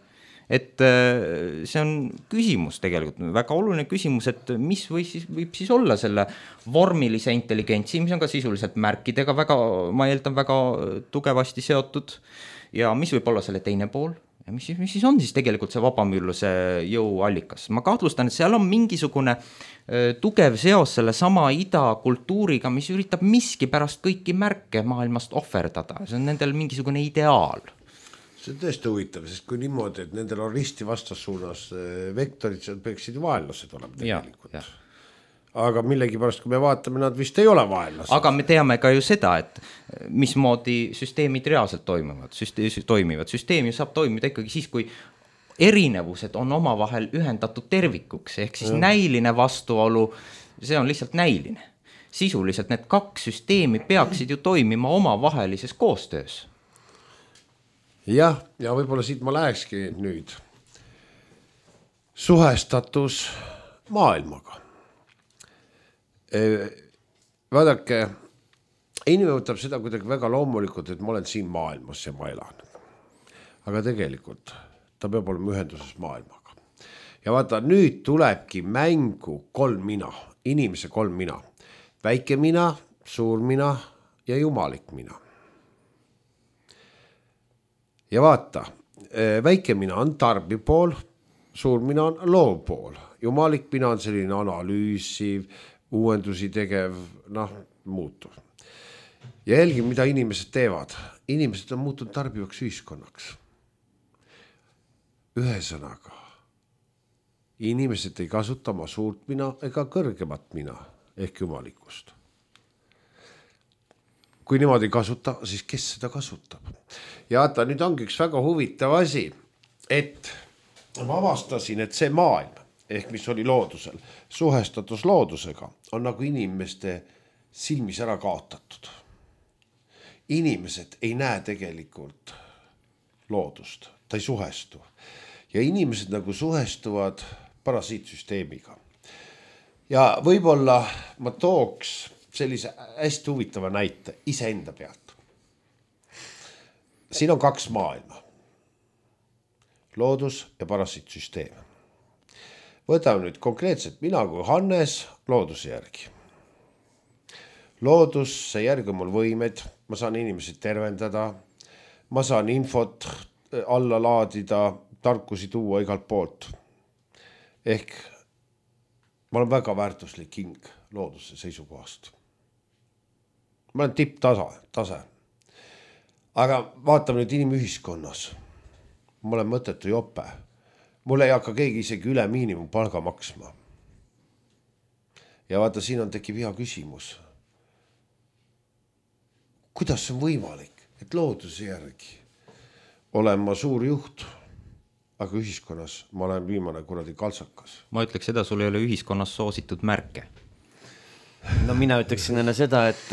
Et see on küsimus tegelikult, väga oluline küsimus, et mis võib siis olla selle vormilise intelligentsi, mis on ka sisuliselt märkidega väga, ma eeldan, väga tugevasti seotud ja mis võib olla selle teine pool ja mis siis on siis tegelikult see vabamüürluse jõuallikas. Ma kahtlustan, et seal on mingisugune tugev seos selle sama ida kultuuriga, mis üritab miski pärast kõiki märke maailmast ohverdada, see on nendel mingisugune ideaal. See on tõesti huvitav, sest kui niimoodi, et nendel on risti vastassuunas vektorid, see peaksid ju vaenlased olema tegelikult. Ja. Aga millegipärast, kui me vaatame, nad vist ei ole vaenlased. Aga me teame ka ju seda, et mismoodi süsteemid reaalselt toimivad. Süsteem ju saab toimida ikkagi siis, kui erinevused on omavahel ühendatud tervikuks, ehk siis näiline vastuolu, see on lihtsalt näiline. Sisuliselt need kaks süsteemi peaksid ju toimima omavahelises koostöös. Jah, ja võib-olla siit ma lähekski nüüd suhestatus maailmaga. Vaadake, inimene võtab seda kuidagi väga loomulikult, et ma olen siin maailmas ja ma elan. Aga tegelikult ta peab olema ühenduses maailmaga. Ja vaata, nüüd tulebki mängu 3 mina, inimese 3 mina. Väike mina, suur mina ja jumalik mina. Ja vaata, väike mina on tarbi pool, suur mina on loov pool, jumalik mina on selline analüüsiv, uuendusi tegev, muutuv. Ja jälgi, mida inimesed teevad. Inimesed on muutunud tarbivaks ühiskonnaks. Ühesõnaga, inimesed ei kasuta oma suurt mina ega kõrgemat mina ehk jumalikust. Kui niimoodi kasuta, siis kes seda kasutab? Ja vaata, nüüd ongi üks väga huvitav asi, et ma avastasin, et see maailm, ehk mis oli loodusel, suhestatus loodusega, on nagu inimeste silmis ära kaotatud. Inimesed ei näe tegelikult loodust, ta ei suhestu. Ja inimesed nagu suhestuvad parasiitsüsteemiga. Ja võib-olla ma tooks sellise hästi huvitava näite iseenda pealt. Siin on 2 maailma. Loodus ja parasiitsüsteem. Võtame nüüd konkreetselt mina kui Hannes looduse järgi. Looduse järgi on mul võimed, ma saan inimesi tervendada, ma saan infot alla laadida, tarkusi tuua igalt poolt. Ehk ma olen väga väärtuslik hing looduse seisukohast. Ma olen tipptase. Aga vaatame nüüd inimühiskonnas. Ma olen mõttetu jope. Mul ei hakka keegi isegi üle miinimumpalga maksma. Ja vaata, siin tekib hea küsimus. Kuidas on võimalik, et looduse järgi olen ma suur juht, aga ühiskonnas ma olen viimane kuradi kaltsakas? Ma ütleks seda, sul ei ole ühiskonnas soositud märke. No mina ütleksin enne seda, et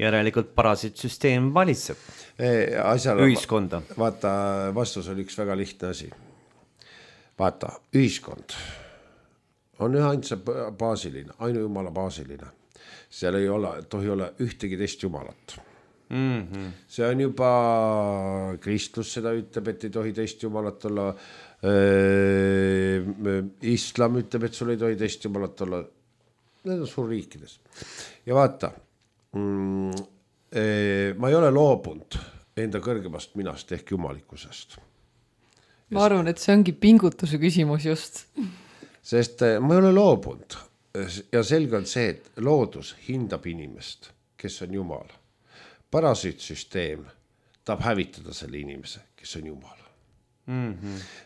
järelikult parasiitsüsteem valitseb ühiskonda. Vaata, vastus oli üks väga lihtne asi. Vaata, ühiskond on üheainsa baasiline, ainu jumala baasiline. Seal ei tohi olla ühtegi teist jumalat. See on juba kristlus seda ütleb, et ei tohi teist jumalat olla. Islam ütleb, et sul ei tohi teist jumalat olla. Need on suurriikides. Ja vaata, ma ei ole loobunud enda kõrgemast minast ehk jumalikkusest. Ma arvan, et see ongi pingutuse küsimus just. Sest ma ei ole loobunud ja selge on see, et loodus hindab inimest, kes on jumal. Parasiitsüsteem tahab hävitada selle inimese, kes on jumal.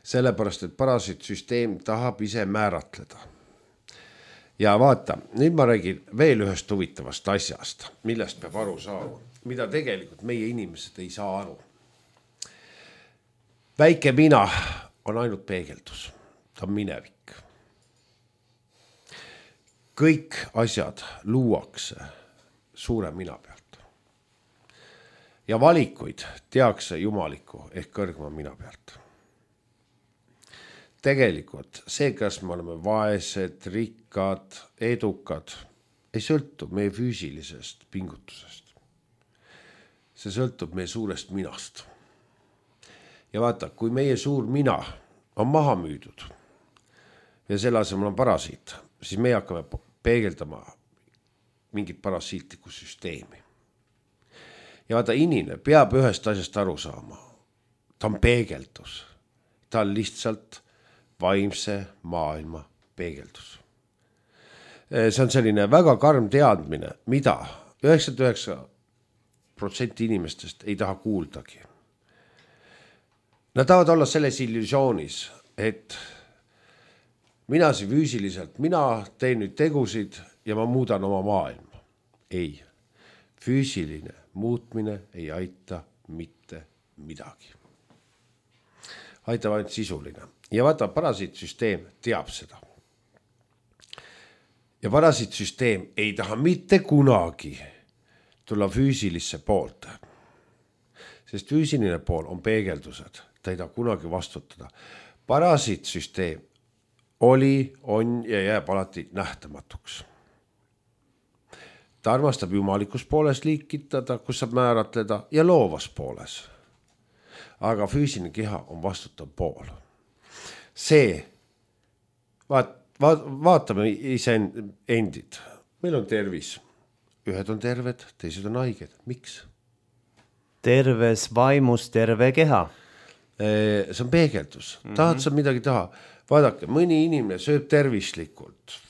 Sellepärast, et parasiitsüsteem tahab ise määratleda. Ja vaata, nüüd ma räägin veel ühest huvitavast asjast, millest peab aru saama, mida tegelikult meie inimesed ei saa aru. Väike mina on ainult peegeldus, ta on minevik. kõik asjad luuakse suure mina pealt. Ja valikuid tehakse jumaliku ehk kõrgema mina pealt. Tegelikult see, kas me oleme vaesed, rikkad, edukad, ei sõltu meie füüsilisest pingutusest. See sõltub meie suurest minast. Ja vaata, kui meie suur mina on maha müüdud ja selle asemel on parasiit, siis me hakkame peegeldama mingit parasiitlikku süsteemi. Ja vaata, inimene peab ühest asjast aru saama. Ta on peegeldus. Ta on lihtsalt vaimse maailma peegeldus. See on selline väga karm teadmine, mida 99% inimestest ei taha kuuldagi. Nad tahavad olla selles illusioonis, et mina siin füüsiliselt, mina teen nüüd tegusid ja ma muudan oma maailma. Ei, füüsiline muutmine ei aita mitte midagi. Aitab ainult sisuline. Ja vaata, parasiitsüsteem teab seda. Ja parasiitsüsteem ei taha mitte kunagi tulla füüsilisse poolt. Sest füüsiline pool on peegeldused. Ta ei taha kunagi vastutada. Parasiitsüsteem oli, on ja jääb alati nähtamatuks. Ta armastab jumalikus pooles liikitada, kus saab määratleda ja loovas pooles. Aga füüsiline keha on vastutav pool. See, vaatame ise endid. Meil on tervis. Ühed on terved, teised on haiged. Miks? Terves vaimus terve keha. See on peegeldus. Tahad sa midagi taha? Vaadake, mõni inimene sööb tervislikult.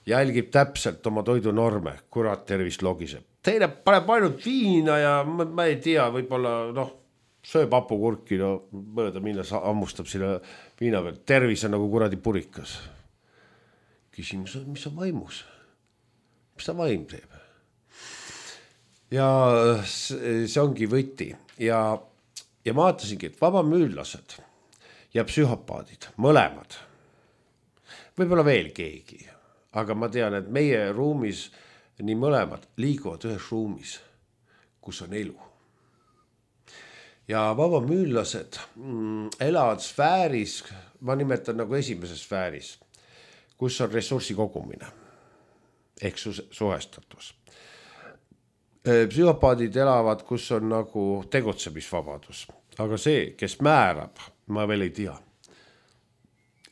Jälgib täpselt oma toidunorme. Kurat, tervis logiseb. Teine paneb ainult viina ja ma ei tea, võib-olla sööb hapukurki, mööda minnes ammustab sinna viina peal. Tervis on nagu kuradi purikas. Küsimus on, mis on vaimus? Mis ta vaim teeb? Ja see ongi võti. Ja ma vaatasingi, et vabamüüllased ja psühhopaadid, mõlemad. Võib-olla veel keegi. Aga ma tean, et meie ruumis nii mõlemad liiguvad ühes ruumis, kus on elu. Ja vabamüüllased elavad sfääris, ma nimetan nagu esimeses sfääris, kus on ressursi kogumine ehk suhestatus. Psühhopaadid elavad, kus on nagu tegutsemisvabadus. Aga see, kes määrab, ma veel ei tea.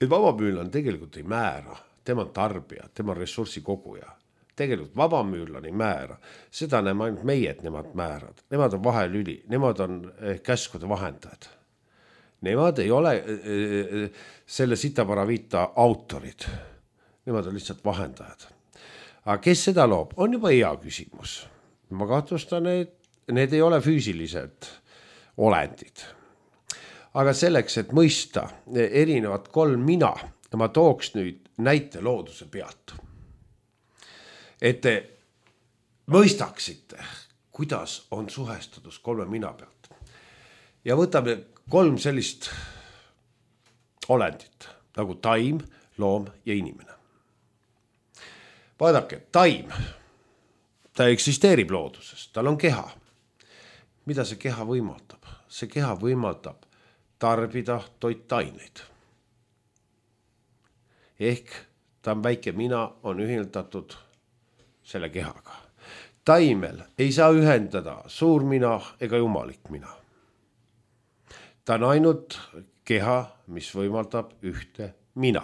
Et vabamüülane tegelikult ei määra. Tema on tarbija, tema on ressursi koguja. Tegelikult vabamüülane ei määra. Seda näeme ainult meie, et nemad määrad. Nemad on vahelüli, nemad on käskude vahendajad. Nemad ei ole selle sitaparaviita autorid. Nemad on lihtsalt vahendajad. Aga kes seda loob, on juba hea küsimus. Ma kahtlustan, et need ei ole füüsilised olendid. Aga selleks, et mõista erinevat 3 mina, ma tooks nüüd näite looduse pealt. Et te mõistaksite, kuidas on suhestatus 3 mina pealt. Ja võtame 3 sellist olendit, nagu taim, loom ja inimene. Vaadake, taim, ta eksisteerib looduses, tal on keha. Mida see keha võimaldab? See keha võimaldab tarbida toitaineid. Ehk ta on väike mina, on ühendatud selle kehaga. Taimel ei saa ühendada suur mina ega jumalik mina. Ta on ainult keha, mis võimaldab ühte mina.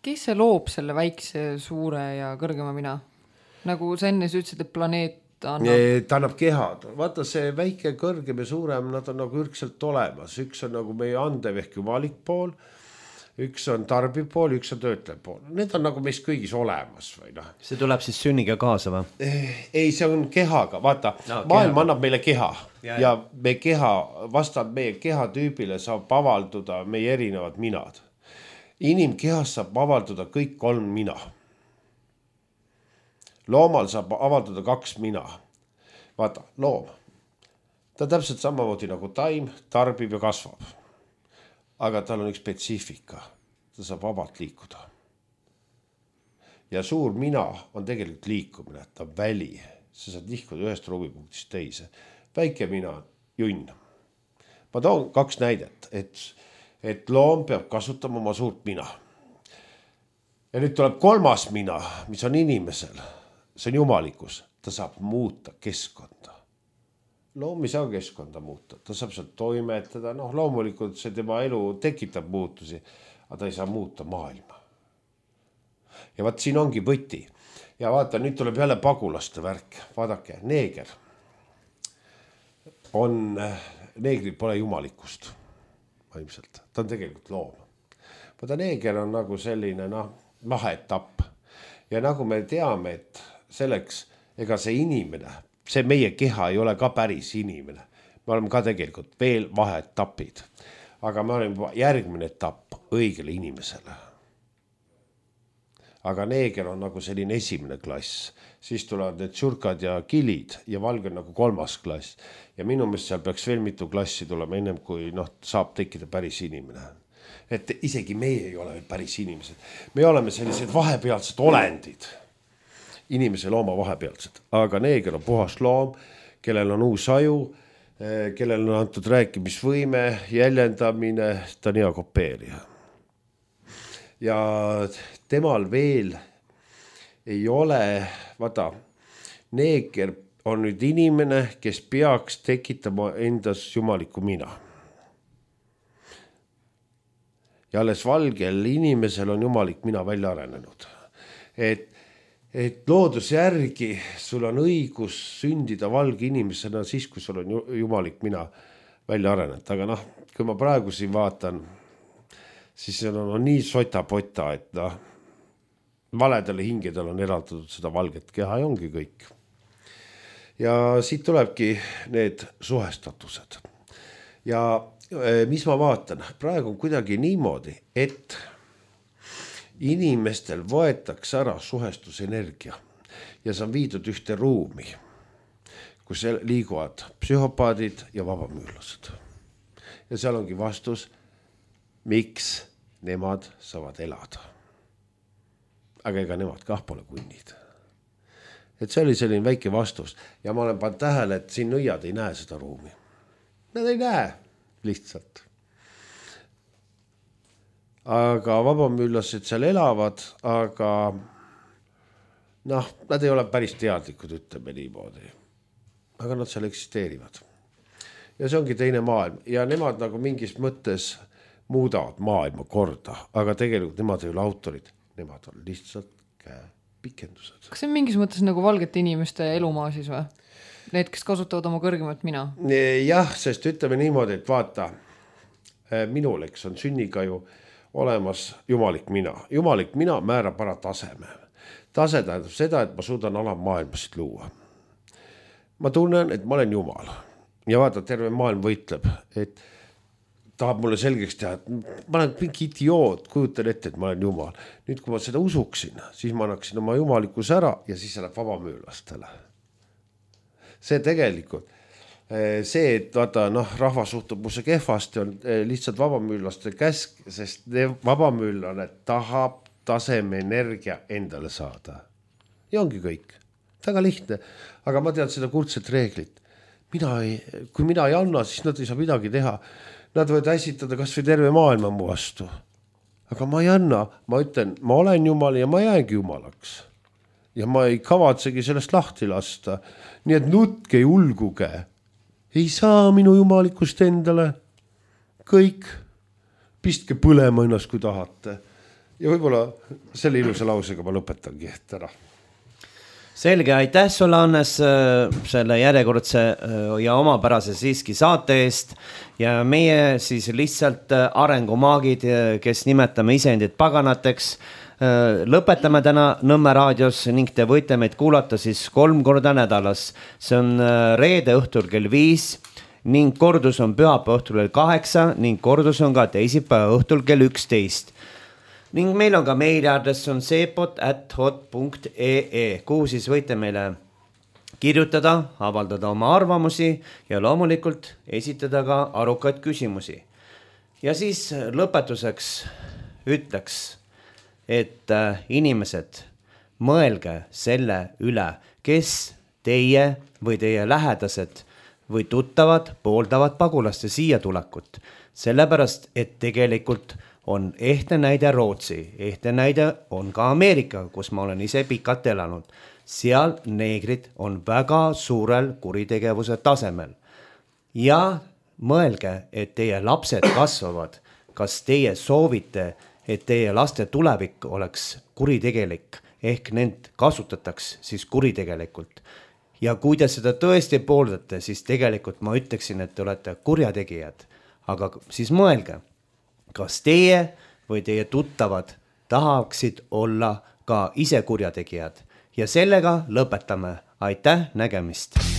Kes see loob selle väikse, suure ja kõrgema mina? Nagu sa enne ütlesid, et planeet annab... Ta annab kehad. Vaata, see väike, kõrgem ja suurem, nad on nagu ürgselt olemas. Üks on nagu meie andev ehk jumalik pool, üks on tarbiv pool, üks on töötlev pool. Need on nagu meist kõigis olemas. Või noh. See tuleb siis sünniga kaasa või? Ei, see on kehaga. Vaata, maailm annab meile keha. Ja me keha, vastavalt meie kehatüübile saab avalduda meie erinevad minad. Inimkehas saab avalduda kõik 3 mina. Loomal saab avalduda 2 mina. Vaata, loom. Ta täpselt samamoodi nagu taim, tarbib ja kasvab. Aga tal on üks spetsiifika. Ta saab vabalt liikuda. ja suur mina on tegelikult liikumine, ta on väli, sa saad nihkuda ühest ruumipunktist teise. Väike mina on junn. Ma toon 2 näidet, et loom peab kasutama oma suurt mina. Ja nüüd tuleb 3. mina, mis on inimesel, see on jumalikkus, ta saab muuta keskkonda. Loom ei saa keskkonda muuta, ta saab seal toimetada, loomulikult see tema elu tekitab muutusi, aga ta ei saa muuta maailma. Ja vaat siin ongi võti. Ja vaata, nüüd tuleb jälle pagulaste värk. Vaadake, neeger. Neegril pole jumalikkust. Vaimselt. Ta on tegelikult loom. Vaata, neeger on nagu selline vaheetapp. Ja nagu me teame, et selleks, ega see inimene, see meie keha ei ole ka päris inimene. Me oleme ka tegelikult veel vaheetapid. Aga me oleme järgmine etapp õigele inimesele. Aga neeger on nagu selline esimene klass. Siis tulevad need surkad ja kilid ja valge on nagu 3. klass. Ja minu meelest seal peaks veel mitu klassi tulema ennem, kui saab tekkida päris inimene. Et isegi meie ei ole päris inimesed. Me oleme sellised vahepealsed olendid. Inimese looma vahepealsed. Aga neeger on puhas loom, kellel on uus aju, kellel on antud rääkimisvõime, jäljendamine, ta on hea kopeerija. Ja temal veel ei ole, vaata, neeger on nüüd inimene, kes peaks tekitama endas jumalikku mina. Ja alles valgel inimesel on jumalik mina välja arenenud. Et looduse järgi sul on õigus sündida valge inimesena siis, kui sul on jumalik mina välja arenenud. Aga kui ma praegu siin vaatan, siis see on nii sota-pota, et valedele hingedel on eraldatud seda valget keha ja ongi kõik. Ja siit tulebki need suhestatused. Ja mis ma vaatan? Praegu on kuidagi niimoodi, et inimestel võetakse ära suhestusenergia ja see on viidud ühte ruumi, kus liiguvad psühhopaadid ja vabamüürlased. Ja seal ongi vastus, miks nemad saavad elada. Aga ega nemad kah pole kunnid. Et see oli selline väike vastus. Ja ma olen pannud tähele, et siin nõiad ei näe seda ruumi. Nad ei näe lihtsalt. Aga vabamüürlased seal elavad, aga nad ei ole päris teadlikud, ütleme niimoodi. Aga nad seal eksisteerivad. Ja see ongi teine maailm. Ja nemad nagu mingis mõttes muudavad maailma korda, aga tegelikult nemad ei ole autorid. Nemad on lihtsalt pikendused. Kas see on mingis mõttes nagu valgete inimeste elumaa siis või? Need, kes kasutavad oma kõrgemat mina? Jah, sest ütleme niimoodi, et vaata, minul on sünniga ju olemas jumalik mina. Jumalik mina määrab ära taseme. Tase tähendab seda, et ma suudan alamaailmasid luua. Ma tunnen, et ma olen jumal. Ja vaata, terve maailm võitleb, et tahab mulle selgeks teha, et ma olen mingi idioot, kujutan ette, et ma olen jumal. Nüüd, kui ma seda usuksin, siis ma annaksin oma jumalikus ära ja siis läheb vabamüürlastele. See tegelikult, see, et vaata, rahva suhtub musse kehvasti, on lihtsalt vabamüürlaste käsk, sest vabamüürlane tahab taseme energia endale saada. Ja ongi kõik. Väga lihtne. Aga ma tean seda kuldset reeglit. Kui mina ei anna, siis nad ei saa midagi teha. Nad võivad äsitada kas või terve maailma mu vastu. Aga ma ei anna. Ma ütlen, ma olen jumal ja ma jäängi jumalaks. Ja ma ei kavatsegi sellest lahti lasta. Nii et nutke, ulguge. Ei saa minu jumalikust endale. Kõik. Pistke põlema ennast, kui tahate. Ja võib-olla selle ilusa lausega ma lõpetangi täna. Selge, aitäh sulle, Hannes, selle järjekordse ja omapärase siiski saate eest ja meie siis lihtsalt arengumaagid, kes nimetame iseendid paganateks, lõpetame täna Nõmme raadios ning te võite meid kuulata siis 3 korda nädalas. See on reede õhtul kell 5 ning kordus on pühapäeva õhtul kell 8 ning kordus on ka teisipäeva õhtul kell 11. Ning meil on ka meiliaadress on sepot@hot.ee, kuhu siis võite meile kirjutada, avaldada oma arvamusi ja loomulikult esitada ka arukaid küsimusi. Ja siis lõpetuseks ütleks, et inimesed, mõelge selle üle, kes teie või teie lähedased või tuttavad pooldavad pagulaste siia tulekut. Sellepärast, et tegelikult on ehtne näide Rootsi, ehtne näide on ka Ameerika, kus ma olen ise pikalt elanud. Seal neegrid on väga suurel kuritegevuse tasemel. Ja mõelge, et teie lapsed kasvavad. Kas teie soovite, et teie laste tulevik oleks kuritegelik, ehk nend kasutataks siis kuritegelikult. Ja kui te seda tõesti pooldate, siis tegelikult ma ütleksin, et te olete kurjategijad. Aga siis mõelge, kas teie või teie tuttavad tahaksid olla ka ise kurjategijad. Ja sellega lõpetame. Aitäh, nägemist!